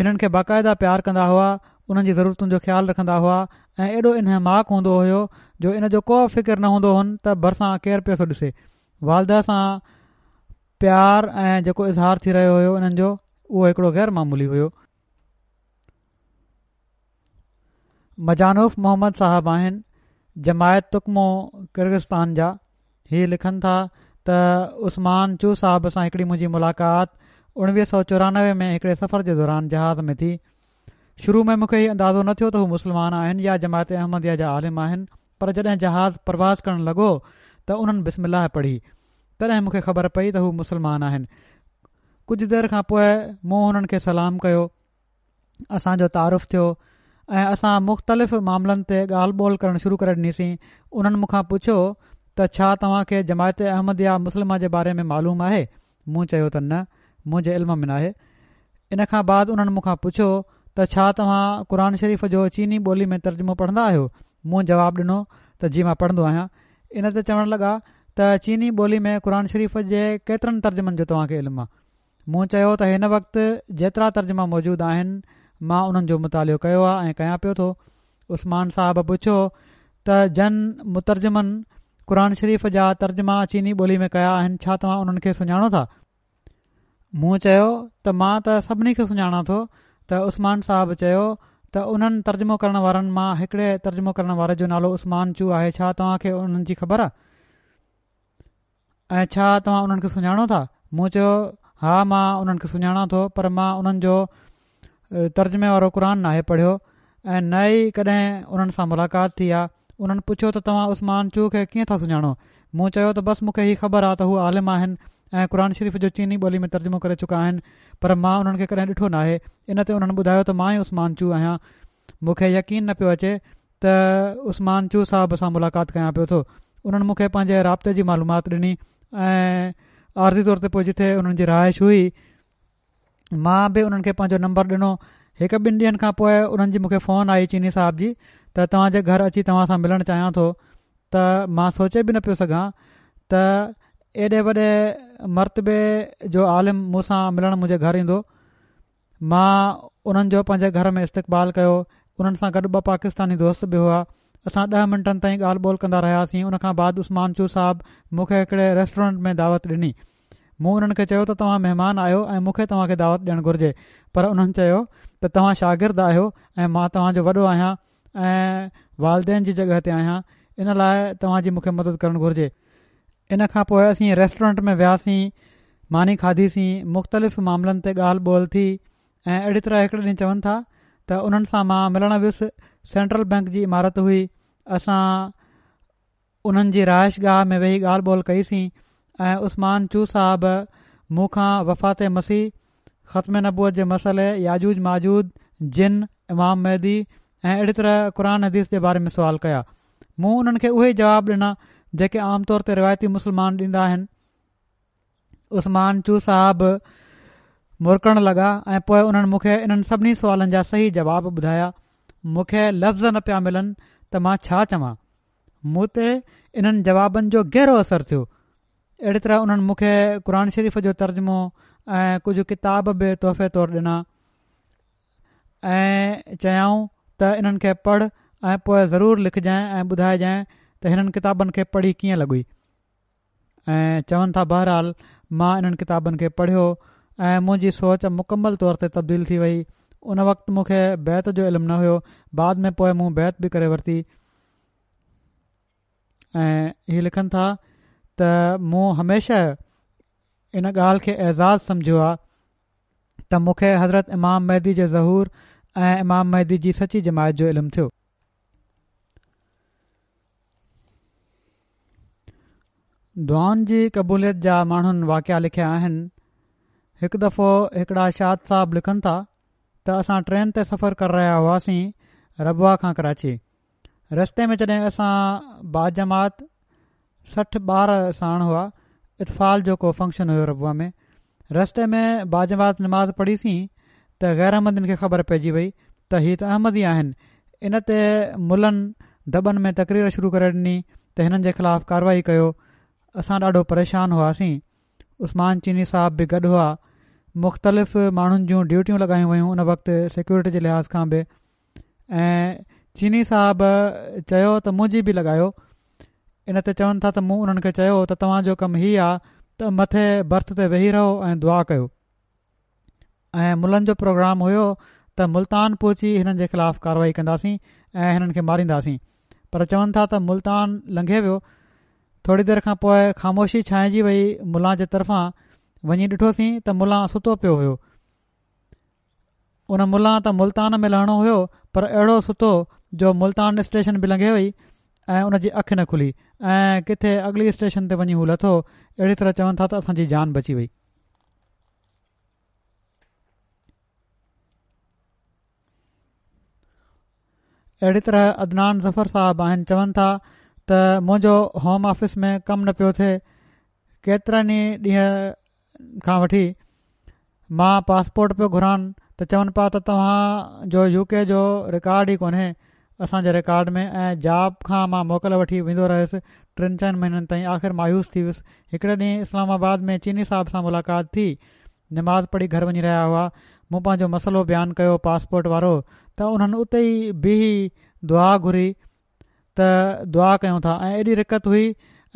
انهن کي باقاعده پيار ڪندا هئا انهن جي ضرورتن جو خيال رکندا هئا ۽ ايڏو انهماڪ هوندو هيو جو ان جو ڪو فڪر نه هوندو هن ته ڀرسان ڪير پيو ٿو ڏسي والده سان پيار ۽ جيڪو اظهار ٿي رهيو هيو انهن جو اهو هڪڙو غير معمولي هيو. مجانوف محمد صاحب آهن جماعت تڪمو ڪرغستان جا هي لکن ٿا ته عثمان چو صاحب سان هڪڙي منهنجي ملاقات اڻويهه سؤ چورانوي ۾ هڪڙي سفر جي دوران جهاز ۾ ٿي شروع ۾ مون کي هي اندازو نه ٿيو ته هو مسلمان آهن يا جماعت احمديه جا عالم آهن پر جڏهن جهاز پرواز ڪرڻ لڳو ته انهن بسم الله پڙهي تڏهن مون کي خبر پئي ته هو مسلمان آهن ڪجهه دير کان پوء مون هنن کي سلام ڪيو اسان جو تعارف ٿيو ۽ اسان مختلف معاملن تي ڳالهه ٻولهه ڪرڻ شروع ڪري ڏنيسين انهن مون کان پڇيو ته ڇا توهان کي جماعت احمديه مسلمه جي باري ۾ معلوم آهي مون چيو ته نه منهنجي علم ۾ ناهي ان کان بعد انهن مون کان پڇيو ته ڇا توهان قرآن شريف جو چيني ٻولي ۾ ترجمو پڙهندا آهيو مون جواب ڏنو ته جي مان پڙهندو آهيان ان تي چوڻ لڳا ته چيني ٻولي ۾ قرآن شريف جي ڪيترن ترجمن جو توهان کي علم آهي مون چيو ته هن وقت جيترا ترجما موجود آهن مان انهن جو مطالعو ڪيو آهي ۽ ڪيان پيو ٿو. عثمان صاحب پڇيو ته جن مترجمن قرآن شريف جا ترجما چيني ٻولي ۾ ڪيا آهن ڇا توهان انهن کي سڃاڻو ٿا؟ مون چيو ته مان ته سڀني کي سڃاڻان ٿو. ته عثمان صاحب چيو ته انهن ترجمو ڪرڻ وارن مان هڪڙي ترجمو ڪرڻ واري جو نالو عثمان چو آهي، ڇا توهان کي انهن جي خبر آهي ۽ ڇا توهان انهن کي سڃاڻو ٿا؟ مون چيو ها مان انهن کي سڃاڻان ٿو، پر مان انهن جو ترجمي وارو قرآن ناهي پڙهيو ۽ نه ئي ڪڏهن انهن سان ملاقات ٿي آهي. انهن پڇيو ته توهان عثمان چو کي ڪيئن ٿا سڃاڻو؟ مون چيو ته بس مون کي هي خبر آهي ته هو عالم آهن ۽ قرآن شريف جو چيني ٻولي ۾ ترجمو ڪري چڪا آهن، پر مان انهن کي ڪڏهن ڏٺو ناهي. ان تي انهن ٻڌايو ته مان ئي عثمان چو آهيان. مون کي يقين نه پيو اچي ته عثمان چو صاحب سان ملاقات ڪيان پيو ٿو. انهن مون کي پنهنجي رابطي جي معلومات ڏني ۽ عارضي طور تي پوء جتي انهن جي رهائش هئي مان به انهن کي پنهنجو نمبر ڏنو. هڪ ٻن ڏينهن کان پوء انهن جي مون کي فون آئي چيني صاحب جي ته توهان جي گهر اچي توهان سان ملڻ چاهيان ٿو. ته مان سوچي به نه پيو سگهان ته ايڏي وڏي مرتبي جو عالم مون سان ملڻ منهنجي گهر ايندو. مان انهن جو پنهنجي گهر ۾ استقبال ڪيو. انهن سان گڏ ٻه پاڪستاني دوست به هئا. اسان ڏهه منٽن تائين ڳالهه ٻولهه ڪندا رهياسين. ان کان بعد عثمان چو صاحب مون کي هڪڙي ريسٽورنٽ ۾ دعوت ڏني. مون انهن کي چيو ته توهان مهمان آهيو ۽ مون کي توهان کي دعوت ڏيڻ گهرجي، پر انهن چيو ته توهان شاگرد آهيو ۽ مان توهان جو وڏو آهيان ۽ والدين جي جڳهه تي آهيان، ان لاء توهان جي مون کي مدد ڪرڻ گهرجي. ان کان پوء اسين ريسٽورنٽ ۾ وياسين، ماني کاڌيسين، مختلف معاملن تي ڳالهه ٻولهه ٿي ۽ اهڙي طرح هڪڙي ڏينهن چون ٿا ته انهن سان مان ملڻ ويس. سينٽرل بئنڪ جي عمارت هئي، اسان انهن جي رهائش گاهه ۾ ويهي ڳالهه ٻولهه ڪئيسين ۽ عثمان چو صاحب مون کان وفات مسيح، ختم نبوت جي مسئلي، ياجوج ماجوج، جن، امام مهدي ۽ اهڙي طرح قرآن حديث جي باري ۾ سوال ڪيا. مون انهن کي اهي ئي جواب ڏنا جيڪي عام طور تي روايتي مسلمان ڏيندا آهن. عثمان چو صاحب مرڪڻ لڳا ۽ پوء انهن مون کي انهن سڀني سوالن جا صحيح جواب ٻڌايا. مون کي لفظ نه پيا ملن ته مان ڇا چوان. مون تي انهن جوابن جو گهرو اثر ٿيو. اهڙي طرح انهن مون کي قرآن شريف جو ترجمو ۽ ڪجهه ڪتاب به تحفي طور ڏنا ۽ چيائون ته انهن کي پڙهه ۽ پوء ضرور لکجانء ۽ ٻڌائجانء ته هنن ڪتابن کي پڙهي ڪيئن لڳئي. ۽ چون ٿا بهرحال مان انهن ڪتابن کي پڙهيو ۽ منهنجي سوچ مڪمل طور تي تبديل ٿي وئي. ان وقت مون کي بيعت جو علم نه هيو، بعد ۾ پوء مون بيعت به ڪري ورتي. ۽ هي لکن ٿا ته مون هميشه ان ڳالهه کي اعزاز سمجهيو آهي ته مون کي حضرت امام مهدي جي ظهور ۽ امام مهدي جي سچي جماعت جو علم ٿيو. دعائن جي قبوليت جا ماڻهن واقعا لکيا آهن. هڪ دفعو هڪڙا شاد صاحب لکن ٿا ته اسان ٽرين تي سفر ڪري رهيا هئاسين ربوه کان ڪراچي. رستي ۾ جڏهن اسان باجماعت سٺ ٻار ساڻ هئا، اطفال جو ڪو فنڪشن هيو ربوه ۾. رستي ۾ باجماعت نماز پڙهيسين ته غير احمدين کي خبر پئجي وئي ته هي ته احمدي آهن. ان تي ملن دٻن ۾ تقرير شروع ڪري ڏني ته هنن جي خلاف ڪارروائي ڪيو. اسان ڏاڍو پريشان هئاسين. عثمان چيني صاحب به گڏ هئا. مختلف ماڻهن جون ڊيوٽيون لڳايون ويون ان وقت سيڪيورٽي جي لحاظ کان به، ۽ چيني صاحب چيو ته منهنجي به لڳايو. ان تي چون ٿا ته مون انهن کي چيو ته توهان جو ڪم هي آ ته مٿي برٿ تي ويهي رهو ۽ دعا ڪيو. ۽ ملن جو پروگرام هيو ته ملتان پهچي هنن جي خلاف ڪارروائي ڪنداسين ۽ هنن کي مارينداسين، پر چون ٿا ته ملتان لنگهي ويو. ٿوري دير کان پوء خاموشي ڇانئجي وئي ملان جي طرفان. وڃي ڏٺوسين ته ملان ستو پيو هيو. ان ملان ته ملتان ۾ لهڻو هيو، پر اهڙو ستو جو ملتان اسٽيشن به لنگهي وئي ۽ ان جي اک نه کلي ۽ ڪٿي اڳلي اسٽيشن تي وڃي هو لٿو. اهڙي طرح چون ٿا ته اسان جي جان بچي وئي. اهڙي طرح عدنان ظفر صاحب آهن، چون ٿا ته منهنجو هوم آفيس ۾ ڪم نه پيو ٿئي. ڪيترن ئي ڏينهن کان وٺي مان پاسپورٽ پيو گهران ته چون پيا ته توهان جو يو ڪي جو رڪارڊ ئي ڪونهي اسان جي رڪارڊ ۾، ۽ جاب کان مان موڪل وٺي ويندو رهيس ٽن چئن مهينن تائين. آخر مايوس ٿي ويس. هڪڙي ڏينهن اسلام آباد ۾ چيني صاحب سان ملاقات ٿي نماز پڙهي گهر وڃي رهيا هئا. مون پنهنجو مسئلو بيان ڪيو پاسپورٽ وارو ته انهن اتي ئي بيهي دعا گهري ته دعا ڪيون ٿا ۽ ايڏي رقت هئي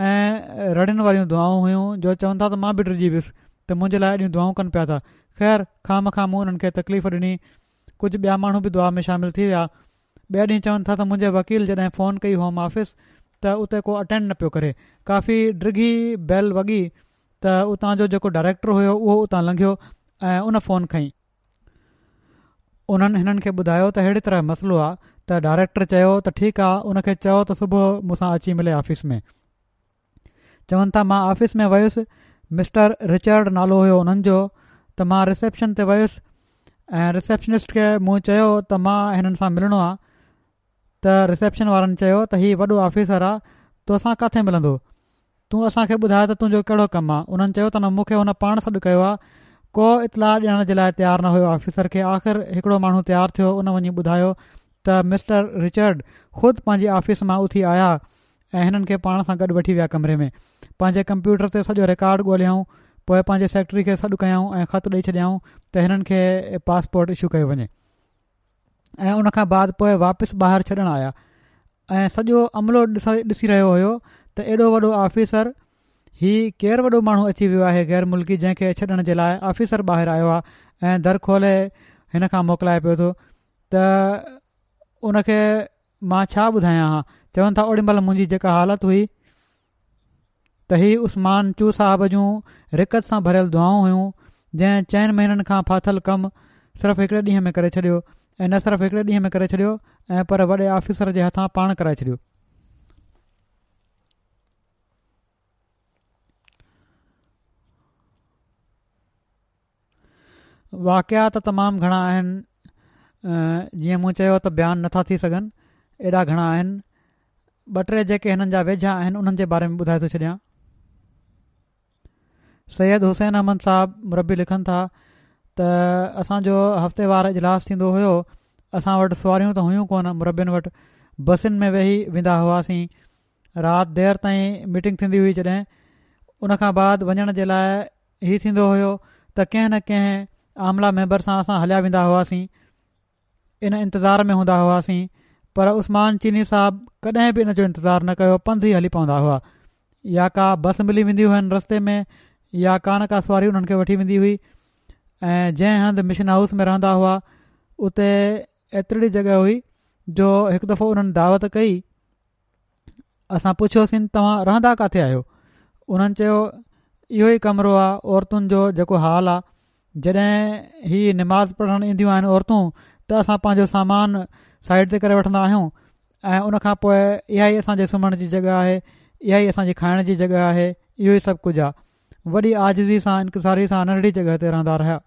۽ رڙين واريون دعائون هيون جو چون ٿا ته مان به ڊڄي ويس ته منهنجي لاءِ ايڏيون دعائون ڪن پيا ٿا. خير خوامخواه مون انهن کي تڪليف ڏني. ڪجهه ٻيا ماڻهو به دعا ۾ شامل ٿي ويا. ٻئي ڏينهن چون ٿا ته منهنجي وڪيل جڏهن فون ڪئي هوم آفيس ته اتي ڪو اٽينڊ نه پيو ڪري. ڪافي ڊگهي بيل وڳي ته اتان جو جيڪو ڊائريڪٽر هيو اهو اتان لنگهيو ۽ ان فون کنئي. انهن هنن کي ٻڌايو ته اهڙي طرح مسئلو آ ته ڊائريڪٽر چيو ته ٺيڪ آ ان کي چئو ته صبح مون سان اچي ملي آفيس ۾. چون ٿا مان آفيس ۾ ويس، مسٽر رچرڊ نالو هيو انهن جو، ته مان رسيپشن تي ويس ۽ رسيپشنسٽ کي مون چيو ته مان هنن سان ملڻو آ ته رسيپشن وارن چيو ته هي وڏو آفيسر آ توسان ڪاٿي ملندو، تون اسان کي ٻڌاءِ ته تنهنجو ڪهڙو ڪم آ. انهن چيو ته نه مون کي هن پاڻ سڏ ڪيو آ. ڪو اطلاع ڏيڻ جي لاءِ تيار نه هيو آفيسر کي. آخر هڪڙو ماڻهو تيار ٿيو، ان وڃي ٻڌايو ته مسٽر رچرڊ خود پنهنجي آفيس مان اٿي آيا ۽ هنن کي پاڻ سان گڏ وٺي ويا ڪمري ۾. پنهنجي ڪمپيوٽر تي سڄو رڪارڊ ڳوليائون، پوءِ پنهنجي سيڪريٽري کي سڏ ڪيائون ۽ خط ڏئي ڇڏيائون ته هنن کي پاسپورٽ اشو ڪيو وڃي ۽ ان کان بعد پوءِ واپس ٻاهر ڇڏڻ آيا ۽ سڄو عملو ڏسي رهيو هيو ته ايڏو وڏو آفيسر، هي ڪير وڏو ماڻهو اچي ويو آهي غير ملڪي جنهن کي ڇڏڻ جي لاءِ آفيسر ٻاهر آيو آهي ۽ در کولي هن کان موڪلائي پيو ٿو ته ان کي مان ڇا ٻڌايان ها. چون ٿا اوڏي مهل منهنجي جيڪا حالت هئي ته هي عثمان چو صاحب جون رقت سان ڀريل دعائون هيون جنهن چئن مهينن کان ڦاٿل ڪم صرف هڪڙي ڏينهن ۾ ڪري ڇڏيو ۽ نه صرف هڪڙي ڏينهن ۾ ڪري ڇڏيو ۽ پر وڏي آفيسر جي هٿان پاڻ ڪرائي ڇڏيو. واقعا ته تمام گهڻا آهن، جيئن مون چيو ته بيان نٿا ٿي سگهن، ايڏا گهڻا آهن. ٻه ٽي جيڪي هنن جا ويجها آهن انهن جي باري ۾ ٻڌائي ٿو ڇڏيان. سيد حسين احمد صاحب مربي لکن ٿا ته اسان جو هفتيوار اجلاس ٿيندو هيو. اسان وٽ سواريون ته هيون ڪونه، مربين وٽ بسن ۾ ويهي ويندا هئاسين. رات دير تائين ميٽنگ ٿيندي هئي. جڏهن ان کان بعد وڃڻ جي لاءِ هي ٿيندو هيو ته ڪنهن نه ڪنهن عامله ميمبر سان اسان هليا ويندا هئاسين، ان انتظار ۾ هوندا هئاسين. پر عثمان چيني صاحب ڪڏهن به ان جو انتظار نه ڪيو، پنڌ ئي هلي پوندا هئا. يا ڪا بس ملي ويندي هئن رستي ۾ يا ڪا نه ڪا سواري انهن کي وٺي ويندي هئي. ۽ جنهن هنڌ مشن هائوس ۾ رهندا هئا اتي ايتري جڳهه هئي جو هڪ دفعو انهن دعوت ڪئي. اسان پڇيوسين توهان رهندا ڪاٿي آهيو؟ انهن چيو اهو ئي ڪمرو آهي عورتن جو جيڪو حال آهي. جڏهن هي نماز پڙهڻ اينديون آهن عورتون ته اسان پنهنجو سامان سائيڊ تي ڪري وٺندا آهيون ۽ ان کان پوءِ اها ئي اسان جي سمهڻ جي جڳهه آهي، اها ئي اسان جي کائڻ جي جڳهه آهي، اهو ئي سڀ ڪجهه آهي. وڏي عاجزي سان انڪساري سان ننڍڙي جڳهه تي رهندا رهيا.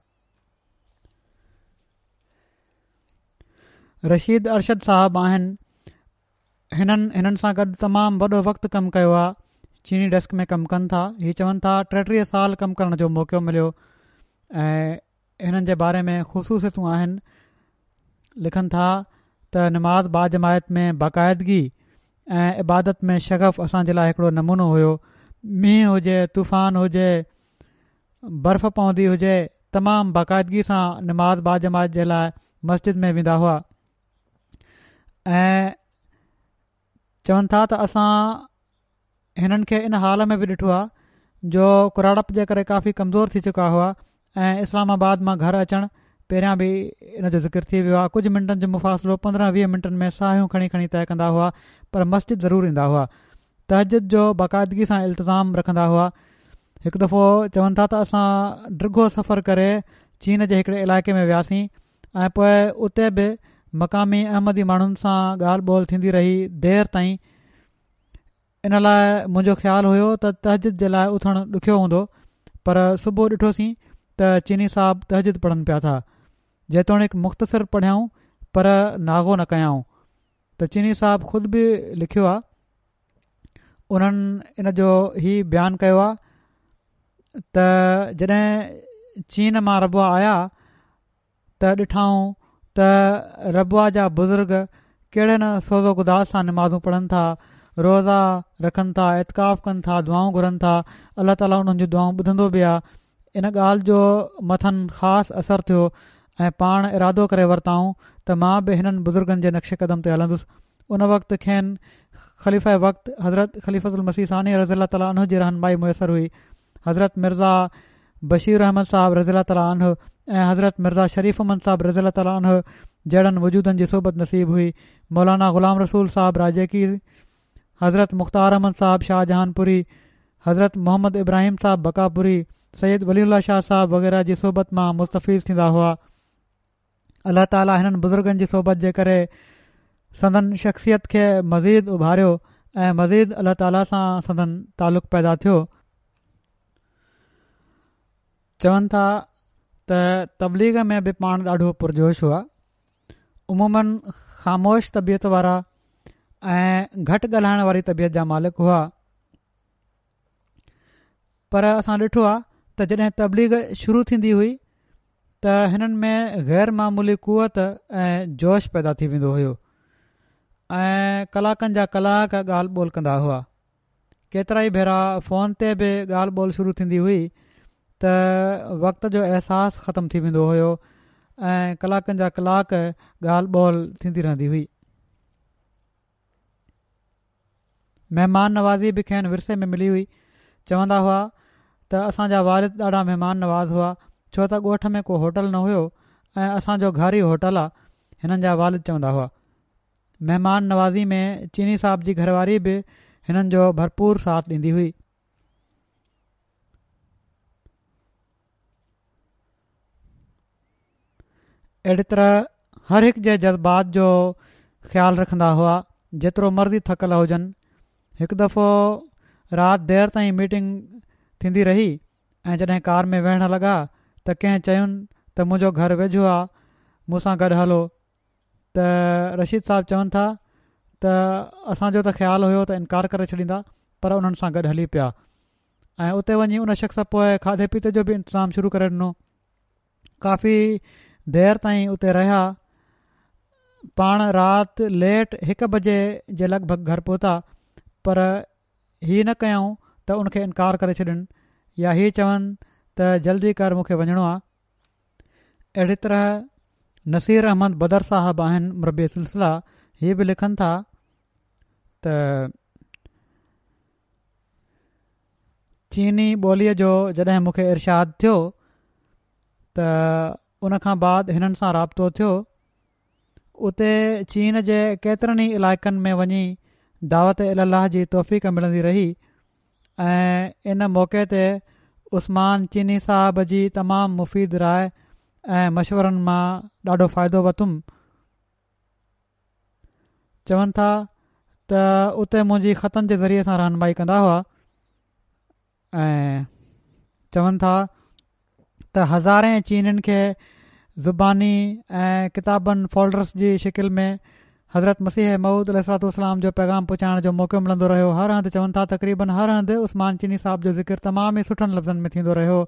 رشيد ارشد صاحب آهن، هنن هنن سان گڏ تمام وڏو وقت ڪم ڪيو آهي. چيني ڊيسڪ ۾ ڪم ڪن ٿا. هي چون ٿا ٽيٽيهه سال ڪم ڪرڻ جو موقعو مليو ۽ هنن جي باري ۾ خصوصيتون آهن. لکن ٿا ته نماز باجماعت ۾ باقاعدگي ۽ عبادت ۾ شغف اسان جي لاءِ هڪڙو نمونو هيو. مينهن هجي، طوفان هجي، برف پوندي هجي، تمام باقاعدگي سان نماز باجماعت جي لاءِ مسجد ۾ ويندا هئا. ۽ چون ٿا ته اسان هنن کي ان حال ۾ به ڏٺو آهي جو ڪراڙپ جي ڪري ڪافي ڪمزور ٿي چڪا هئا ۽ اسلام آباد مان گهر اچڻ پهريان به ان جو ذڪر ٿي ويو آهي. ڪجهه منٽن جو مفاصلو پندرهن ويهه منٽن ۾ ساهيون کڻي کڻي طئي ڪندا هئا پر مسجد ضرور ايندا هئا. تهجد جو باقاعدگي سان التزام رکندا هئا. هڪ دفعو چون ٿا ته اسان ڊگهو سفر ڪري چين جي هڪڙي علائقي ۾ وياسين ۽ پوءِ اتي به مقامي احمدي ماڻهن سان ڳالهه ٻولهه ٿيندي رهي دير تائين. ان لاءِ منهنجو خيال هيو ته تهجد جي لاءِ اٿڻ ڏکيو هوندو، پر صبح ڏٺوسين ته چيني صاحب تهجد پڙهن پيا ٿا. جيتوڻيڪ مختصر پڙهيائون پر ناغو نه ڪيائون. ته چيني صاحب خود به لکيو آهي، انهن ان جو هي بيان ڪيو آهي ته جڏهن چين مان ربوه آيا ته ڏٺائون ته ربوه جا بزرگ ڪهڙي نه سوز و گداز سان نمازون پڙهن ٿا، روزا رکن ٿا، اعتڪاف ڪن ٿا، دعائون گهرن ٿا. الله تعاليٰ انهن جون دعائون ٻڌندو به آهي. ان ڳالهه جو مٿن خاص اثر ٿيو ۽ پاڻ ارادو ڪري ورتائون ته مان به هنن بزرگن جي نقش قدم تي هلندس. ان وقت کين خليفه وقت حضرت خليفة المسيح ثاني رضي الله تعالٰي عنه جي رهنمائي ميسر هئي. حضرت مرزا بشير احمد صاحب رضي الله تعالٰي عنه ۽ حضرت مرزا شريف احمد صاحب رضي الله تعالٰي عنه جهڙن وجودن جي صحبت نصيب هئي. مولانا غلام رسول صاحب راجيڪي، حضرت مختار احمد صاحب شاهجهان پوري، حضرت محمد ابراهيم صاحب بقاپوري، سيد ولي الله شاهه صاحب وغيره جي صحبت مان مستفيض ٿيندا هئا. الله تعاليٰ هنن بزرگن جي صحبت جي ڪري سندن شخصيت کي مزيد اڀاريو ۽ مزيد الله تعاليٰ سان سندن تعلق پيدا ٿيو. چون ٿا ته تبليغ ۾ به پاڻ ڏاڍو پرجوش هئا. عموماً خاموش طبيعت وارا ۽ گهٽ ڳالهائڻ واري طبيعت جا مالڪ هئا. پر اسان ڏٺو آهي ته جڏهن تبليغ شروع ٿيندي هئي ته هنن ۾ غير معمولي قوت ۽ جوش پيدا ٿي ويندو هيو ۽ ڪلاڪن جا ڪلاڪ ڳالهه ٻولهه ڪندا هئا. ڪيترائي ڀيرا فون تي به ڳالهه ٻولهه شروع ٿيندي هئي ته وقت جو احساس ختم ٿي ويندو هيو ۽ ڪلاڪن جا ڪلاڪ ڳالهه ٻولهه ٿيندي رهندي هئي. مهمان نوازي به کين ورثي ۾ ملي هئي. چوندا هئا ته اسان جا والد ڏاڍا مهمان نواز هئا، ڇو ته ڳوٺ ۾ ڪو هوٽل نه هيو ۽ اسان جو گهر ئي هوٽل آ، هنن جا والد چوندا هئا. مهمان نوازي ۾ چيني صاحب جي گهرواري به هنن جو ڀرپور ساٿ ڏيندي هئي. اهڙي طرح هر هڪ جي جذبات جو خيال رکندا هئا، جيترو مرضي ٿڪل هجن. هڪ دفعو رات دير تائين ميٽنگ ٿيندي رهي ۽ جڏهن ڪار ۾ ويهڻ لڳا ته ڪنهن چين ته منهنجو گهر ويجهو آ، مون سان گڏ هلو ته رشيد صاحب چون ٿا ته اسان جو ته خيال هيو ته انڪار ڪري ڇڏيندا پر انهن سان گڏ هلي پيا ۽ اتي وڃي ان شخص پوء کاڌي پيتي جو به انتظام شروع ڪري ڏنو. ڪافي دير تائين اتي رهيا. پاڻ رات ليٽ هڪ بجي جي لڳ ڀڳ گهر پهتا پر هي نه ڪيائون ته ان کي انڪار ڪري ڇڏين يا هي چون ته جلدي ڪر مون کي وڃڻو آ. اهڙي طرح نصير احمد بدر صاحب آهن مربي سلسله، هي به لکن ٿا ته چيني ٻوليء جو جڏهن مون کي ارشاد ٿيو ته ان کان بعد هنن سان رابطو ٿيو. اتي چين جي ڪيترن ئي علائقن ۾ وڃي دعوت الي الله جي توفيق ملندي رهي ۽ ان موقعي تي عثمان چيني صاحب جي تمام مفيد راء ۽ مشورن مان ڏاڍو فائدو ورتم. چون ٿا ته اتي منهنجي خطن جي ذريعي سان رهنمائي ڪندا هئا ۽ چون ٿا ته هزارين چينين کي زباني ۽ ڪتابن فولڊرس جي شڪل ۾ حضرت مسيح موعود عليه الصلوة والسلام جو پيغام پهچائڻ جو موقعو ملندو رهيو. هر هنڌ چون ٿا تقريبن هر هنڌ عثمان چيني صاحب جو ذڪر تمام ئي سٺن لفظن ۾ ٿيندو رهيو.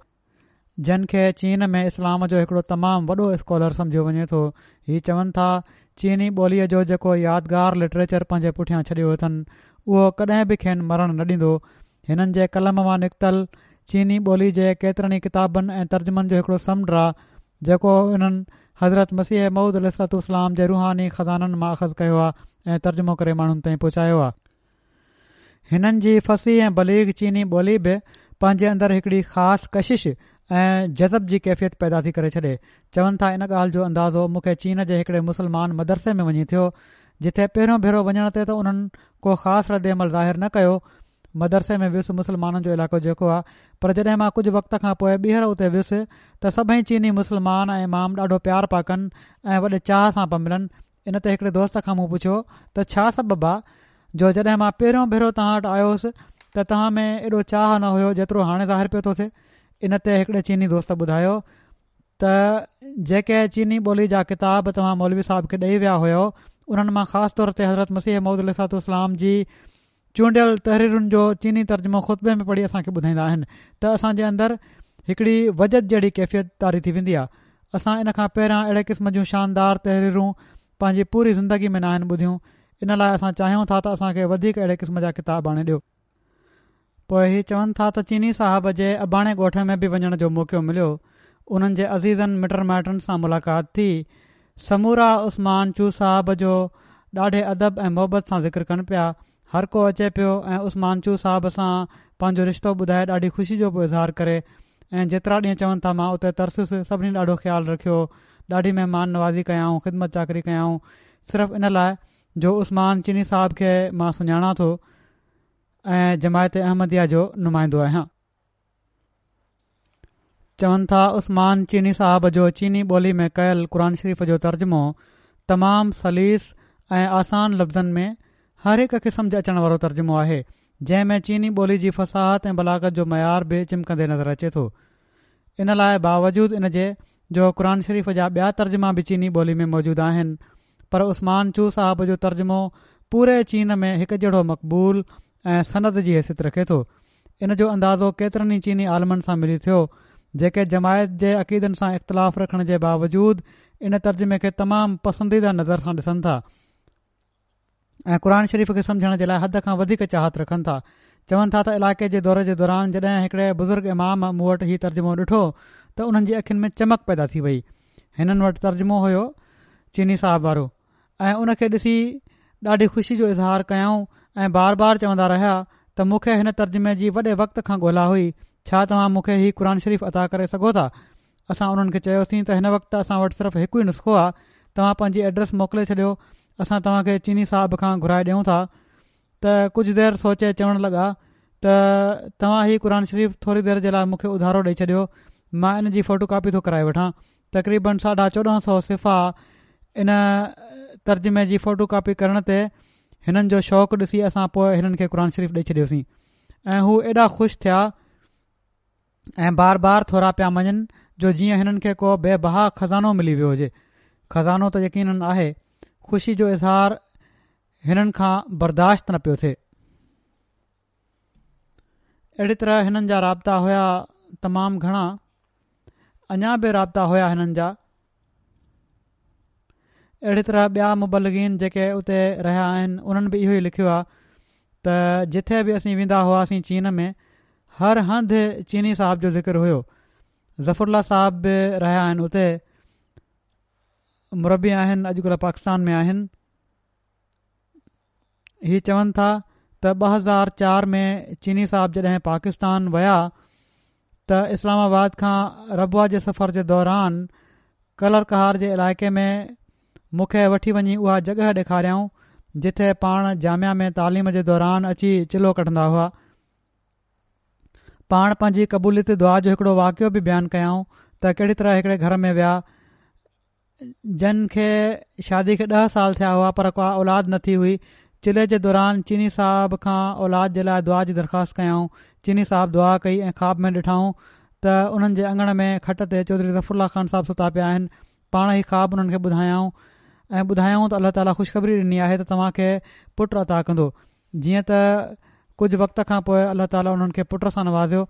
جن کي چين ۾ اسلام جو هڪڙو تمام وڏو اسڪالر سمجهيو وڃي ٿو. هي چون ٿا چيني ٻوليء جو جيڪو يادگار لٽريچر پنهنجي پٺيان ڇڏيو اٿن اهو ڪڏهن به کين مرڻ نه ڏيندو. هنن جي قلم مان نڪتل چيني ٻولي جي ڪيترن ئي ڪتابن ۽ ترجمن جو هڪڙو سمنڊ آ جيڪو انهن حضرت مسيح موعود عليه الصلوة والسلام جي روحاني خزانن مان اخذ ڪيو آ ۽ ترجمو ڪري ماڻهن تائين پهچايو آ. هنن جي فصيح ۽ بليغ چيني ٻولي به پنهنجي اندر هڪڙي خاص ڪشش ۽ جذب جي ڪيفيت پيدا ٿي ڪري ڇڏي. چون ٿا ان ڳالهه جو اندازو مون کي چين جي هڪڙي مسلمان مدرسي ۾ وڃي ٿيو جتي پهريون ڀيرو وڃڻ تي ته انهن ڪو خاص رد عمل ظاهر نه ڪيو. مدرسي ۾ ويس مسلمانن جو علائقو جيڪو آ پر جڏهن مان ڪجهه وقت کان پوء ٻيهر اتي ويس ته سڀئي چيني مسلمان ۽ امام ڏاڍو پيار پيا ڪن ۽ وڏي چاهه سان پيا ملن. ان تي هڪڙي دوست کان مون پڇيو ته ڇا سبب آ جو جڏهن مان پهريون ڀيرو توهان وٽ آيو هوس ته توهان ۾ ايڏو چاهه نه هيو جيترو هاڻي ظاهر پيو ٿو ٿئي. ان تي هڪڙي چيني دوست ٻڌايو ته جيڪي چيني ٻولي جا ڪتاب توهان مولوي صاحب کي ڏئي ويا هيؤ انهن مان خاص طور تي حضرت مسيح موعود عليه الصلوة والسلام جي چونڊيل تحريرن جو چيني ترجمو خطبي ۾ پڙهي اسان کي ٻڌائيندا آهن ته اسان جي اندر هڪڙي وجد جهڙي ڪيفيت طاري ٿي ويندي آهي. اسان ان کان پهريان اهڙي قسم جون شاندار تحريرون پنهنجي پوري زندگي ۾ ناهن ٻڌيون. ان لاء اسان چاهيون ٿا ته اسان کي وڌيڪ اهڙي قسم جا ڪتاب آڻي ڏيو. پوءِ هي چون ٿا ته چيني صاحب جي اباڻي ڳوٺ ۾ به وڃڻ جو موقعو مليو. انهن جي عزيزن مٽن مائٽن سان ملاقات ٿي. سمورا عثمان چو صاحب جو ڏاڍي ادب ۽ محبت سان ذڪر ڪن پيا. هر ڪو اچي پيو ۽ عثمان چو صاحب سان پنهنجو رشتو ٻڌائي ڏاڍي خوشي جو پيو اظهار ڪري. ۽ جيترا ڏينهن چون ٿا مان اتي ترسيس، سڀني ڏاڍو خيال رکيو، ڏاڍي مهمان نوازي ڪيائون، خدمت چاڪري ڪيائون، صرف ان لاءِ جو عثمان چيني صاحب کي مان سڃاڻان ٿو ۽ جماعت احمديه جو نمائندو آهيان. چون ٿا عثمان چيني صاحب جو چيني ٻولي ۾ ڪيل قرآن شريف جو ترجمو تمام سليس ۽ آسان لفظن ۾ هر هڪ کي سمجهه اچڻ وارو ترجمو آهي، جنهن ۾ چيني ٻولي جي فصاحت ۽ بلاغت جو معيار به چمڪندي نظر اچي ٿو. ان لاءِ باوجود ان جي جو قرآن شريف جا ٻيا ترجما به چيني ٻولي ۾ موجود آهن، پر عثمان چو صاحب جو ترجمو پوري چين ۾ هڪ جهڙو مقبول ۽ سند جي حيثيت رکي ٿو. ان جو اندازو ڪيترن ئي چيني عالمن سان ملي ٿيو، جيڪي جماعت جي عقيدن سان اختلاف رکڻ جي باوجود ان ترجمي کي تمام پسنديده نظر سان ڏسن ٿا ۽ قرآن شريف کي سمجهڻ جي لاءِ حد کان وڌيڪ چاهت رکن ٿا. چون ٿا ته علائقي جي دوري جي دوران جڏهن هڪڙي بزرگ امام مون وٽ هي ترجمو ڏٺو ته انهن جي اکين ۾ چمڪ پيدا ٿي وئي. هنن وٽ ترجمو هيو چيني صاحب وارو ۽ ان کي ڏسي ڏاڍي خوشي جو اظهار ڪيائون ۽ بار بار چوندا رهيا ته مون کي هن ترجمي جي وڏي وقت کان ڳولا هئي، ڇا توهان مون کي هي قرآن شريف عطا ڪري سگهو ٿا؟ اسان انهن کي چيوسين ته هن وقت اسان وٽ صرف هڪ ئي نسخو آهي، توهان پنهنجي ايڊريس موڪلي ڇڏيو، اسان توهان کي چيني صاحب کان گهرائي ڏيون ٿا. ته ڪجهه دير سوچي چوڻ لڳا ته توهان هي قرآن شريف ٿوري دير جي لاءِ مون کي اڌارو ڏئي ڇڏيو، مان ان جي فوٽو ڪاپي ٿو ڪرائي وٺان. تقريبن ساڍا چوڏهن سؤ صفحا ان ترجمي جي فوٽو ڪاپي ڪرڻ تي هنن جو شوق ڏسي اسان پوءِ هنن کي قرآن شريف ڏئي ڇڏيوسين ۽ هو ايڏا خوش ٿيا ۽ بار بار ٿورا پيا مڃن جو جيئن هنن کي ڪو بي بها خزانو ملي ويو هجي. خزانو ته يقينن آهي. خوشي جو اظهار هنن کان برداشت نه پيو ٿئي. اهڙي طرح هنن جا رابطا هيا تمام گهڻا، اڃا به رابطا هيا هنن جا. اهڙي طرح ٻيا مبلغين جيڪي اتي رهيا آهن انهن به اهو ئي لکيو آهي ته جٿي به اسين ويندا هئاسين چين ۾ هر هنڌ چيني صاحب جو ذڪر هيو. ظفر الله صاحب به رهيا آهن اتي، مربي آهن، اڄڪلهه پاڪستان ۾ آهن. هي چون ٿا ته ٻه هزار چار ۾ چيني صاحب جڏهن پاڪستان ويا ته اسلام آباد کان ربوه جي سفر جي دوران ڪلر ڪهار جي علائقي ۾ مون کي وٺي وڃي اها جڳهه ڏيکاريائون جٿي پاڻ جامعه ۾ تعليم جي دوران اچي چلو ڪڍندا هئا. پاڻ پنهنجي قبوليت دعا جو هڪڙو واقعو به بيان ڪيائون ته ڪهڙي طرح هڪڙي گهر ۾ ويا جن کي شادي کي ڏهه سال ٿيا هئا پر ڪا اولاد نه ٿي هئي. چلي جي دوران چيني صاحب کان اولاد جي لاءِ دعا جي درخواست ڪيائون. چيني صاحب دعا ڪئي ۽ خواب ۾ ڏٺائون ته انهن جي اڱڻ ۾ کٽ تي چوڌري ظفر الله خان صاحب ستا پيا آهن. پاڻ هي خواب انهن کي ٻڌايائون ۽ ٻڌايائون ته الله تعاليٰ خوشخبري ڏني آهي ته توهان کي پٽ عطا ڪندو. جيئن ته ڪجهه وقت کان پوءِ الله تعاليٰ انهن کي پٽ سان نوازيو.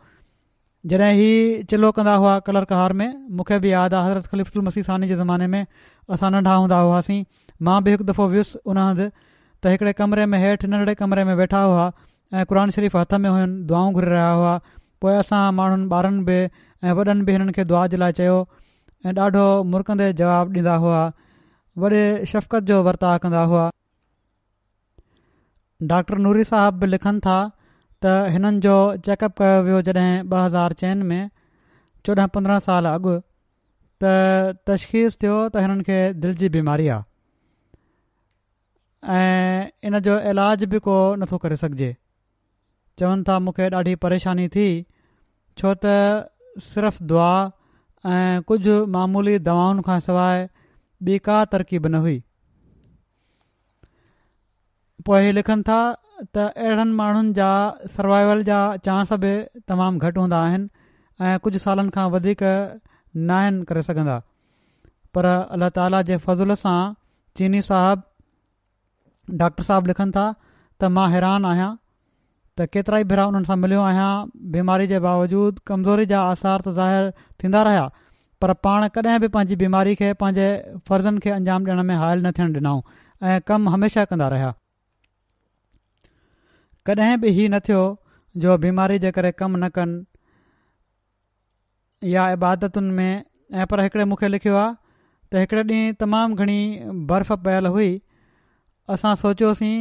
جڏهن هي چلو ڪندا هئا ڪلر ڪهار ۾، مون کي به ياد آهي حضرت خليفة المسيح ثاني جي زماني ۾ اسان ننڍا هوندا هئاسين، مان به هڪ دفعو ويس ان هنڌ ته هڪڙي ڪمري ۾ هيٺ ننڍڙي ڪمري ۾ ويٺا هئا ۽ قرآن شريف هٿ ۾ هين، دعائون گهري رهيا هئا. پوءِ اسان ماڻهن ٻارن به ۽ وڏن به هنن کي دعا جي لاءِ چيو ۽ ڏاڍو مرڪندي جواب ڏيندا هئا، وڏي شفقت جو ورتاءُ ڪندا هئا. ڊاڪٽر نوري صاحب به لکن ٿا ته هنن جو چيڪ اپ ڪيو ويو جڏهن ٻه هزار چئن ۾ چوڏهن پندرهن سال اڳ، ته تشخيص ٿيو ته هنن کي دل جي بيماري آهي ۽ ان جو علاج به ڪو نٿو ڪري سگهجي. چون ٿا مون کي ڏاڍي پريشاني ٿي ڇو ته صرف دعا ۽ ڪجهه معمولي دوائن کان سواءِ ٻي ڪا ترڪيب نه هئي. پوءِ هي لکن ٿا ته اهڙن ماڻهن جا سروائيول جا چانس به تمام گهٽ هوندا آهن ۽ ڪجهه سالن کان وڌيڪ ناهن ڪري سگهندا، پر الله تعاليٰ جي فضل سان چيني صاحب ڊاڪٽر صاحب لکن ٿا ته مان حيران آهيان ته ڪيترا ئي ڀيرا انهن سان مليو آهيان، بيماري جي باوجود ڪمزوري جا آثار ته ظاهر ٿيندا رهيا پر پاڻ ڪڏهن به پنهنجي بيماري کي پنهنجي فرضن کي انجام ڏيڻ ۾ حائل نه ٿيڻ ڏنائون ۽ ڪم هميشه ڪندا رهيا. ڪڏهن به هي نه ٿيو جو بيماري جي ڪري ڪم نه ڪن يا عبادتن ۾. ۽ پر هڪڙي مون کي لکيو آهي ته هڪڙي ڏينهن تمام گهڻي برف پيل هئي، اسان سوچيوسين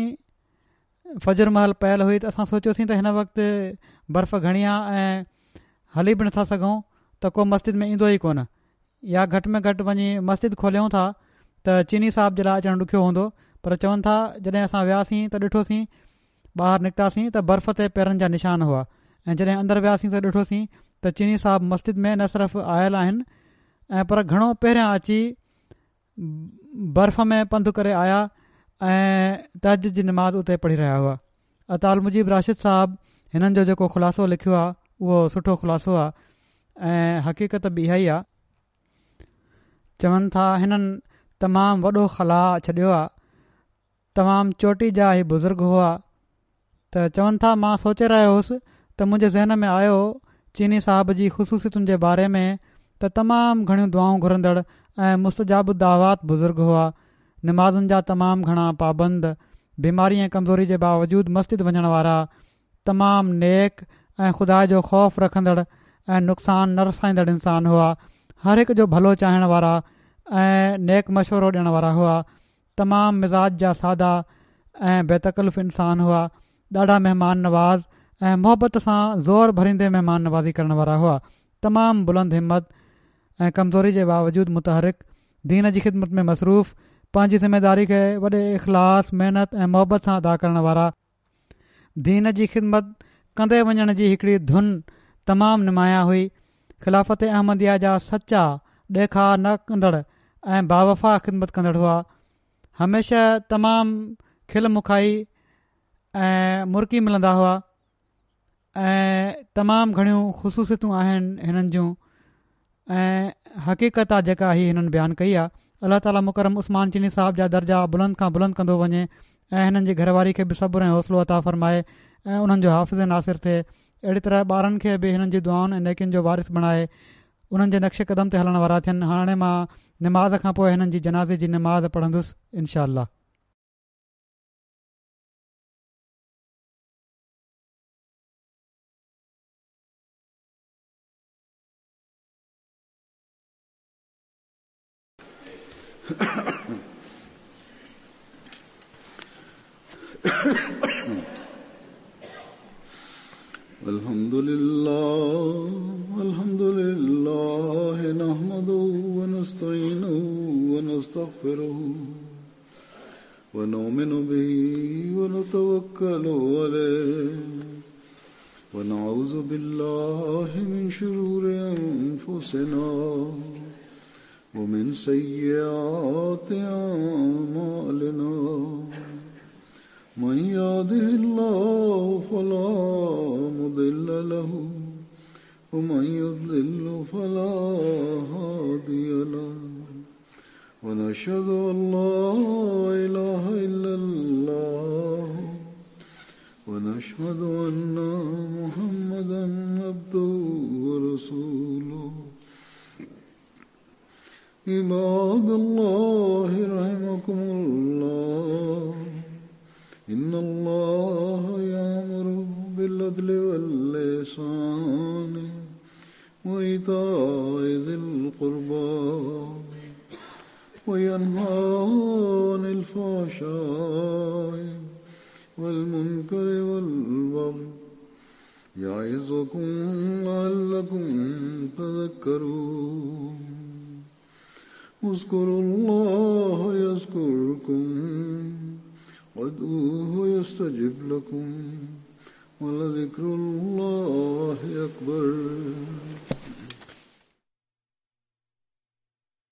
فجر مهل پيل هئي ته اسان سوچيوسين ته هن وقت برف گهڻي آهي ۽ هلي به نٿا سگهون ته ڪو مسجد ۾ ايندو ئي ڪونه، يا گهٽ ۾ گهٽ وڃي مسجد کوليون ٿا ته چيني صاحب جي لاء اچڻ ڏکيو هوندو. پر چون ٿا جڏهن اسان وياسين ته ڏٺوسين، ٻاهر نڪتاسين ته برف تي پيرن جا نشان هئا، ۽ جڏهن اندر وياسين ته ڏٺوسين ته چيني صاحب مسجد ۾ نه صرف آيل آهن ۽ پر گهڻو پهريان اچي برف ۾ پنڌ ڪري آيا ۽ تهجد جي نماز اتي پڙهي رهيا هئا. عطا المجيب راشد صاحب هنن جو جيڪو خلاصو لکيو آهي اهو سٺو خلاصو آهي ۽ حقيقت به اها ئي آهي. چون ٿا هنن تمام وڏو خلا ڇڏيو آهي، تمام چوٽي جا هي بزرگ هئا. ته چون ٿا مان سوچي رهيو هوس ته منهنجي ذهن ۾ آيو چيني صاحب جي خصوصيتن جي باري ۾ ته تمام گهڻيون دعائون گهرندڙ ۽ مستجاب الدعوات بزرگ هئا، نمازن جا تمام گهڻا پابند، بيماري ۽ ڪمزوري جي باوجود مسجد وڃڻ وارا، تمام نيڪ ۽ خدا جو خوف رکندڙ ۽ نقصان نه رسائيندڙ انسان هئا، هر هڪ جو ڀلو چاهڻ وارا ۽ نيڪ مشورو ڏيڻ وارا هئا، تمام مزاج جا سادا ۽ بي تڪلف انسان هئا، ڏاڍا مهمان نواز ۽ محبت سان زور ڀريندي مهمان نوازي ڪرڻ وارا هئا، تمام بلند همت ۽ ڪمزوري جي باوجود متحرڪ، دين جي خدمت ۾ مصروف، پنهنجي ذميداري کي وڏي اخلاص، محنت ۽ محبت سان ادا ڪرڻ وارا، دين جي خدمت ڪندي وڃڻ جي هڪڙي ڌن تمام نمايان هئي، خلافت احمديه جا سچا، ڏيکاء نه ڪندڙ ۽ باوفا خدمت ڪندڙ هئا، هميشه تمام کل مکائي ۽ مرڪي ملندا هئا ۽ تمام گهڻيون خصوصيتون آهن هنن جون ۽ حقيقت آ جيڪا هي هنن بيان ڪئي آ. الله تعاليٰ مڪرم عثمان چيني صاحب جا درجا بلند کان بلند ڪندو وڃي ۽ هنن جي گهر واري کي به صبر ۽ حوصلو عطا فرمائي ۽ انهن جو حافظ ناصر ٿئي. اهڙي طرح ٻارن کي به هنن جي دعائن ۽ نيڪين جو وارث بڻائي انهن جي نقش قدم تي هلڻ وارا ٿين. هاڻي مان نماز کان پوءِ هنن جي جنازي جي نماز پڙهندس انشاء الله. الحمد لله الحمد لله نحمده ونستعينه ونستغفره ونؤمن به ونتوكل عليه ونعوذ بالله من شرور أنفسنا ومن سيئات أعمالنا من يهده الله فلا مضل له ومن يضلل فلا هادي له ونشهد أن لا إله إلا الله ونشهد أن محمدا عبده ورسوله. عباد الله رحمكم الله، إن الله يأمر بالعدل والإحسان وإيتاء ذي القربى وينهى عن الفحشاء والمنكر والبغي يعظكم لعلكم تذكرون. اذكروا الله يذكركم وادعوه يستجب لكم ولذكر الله أكبر.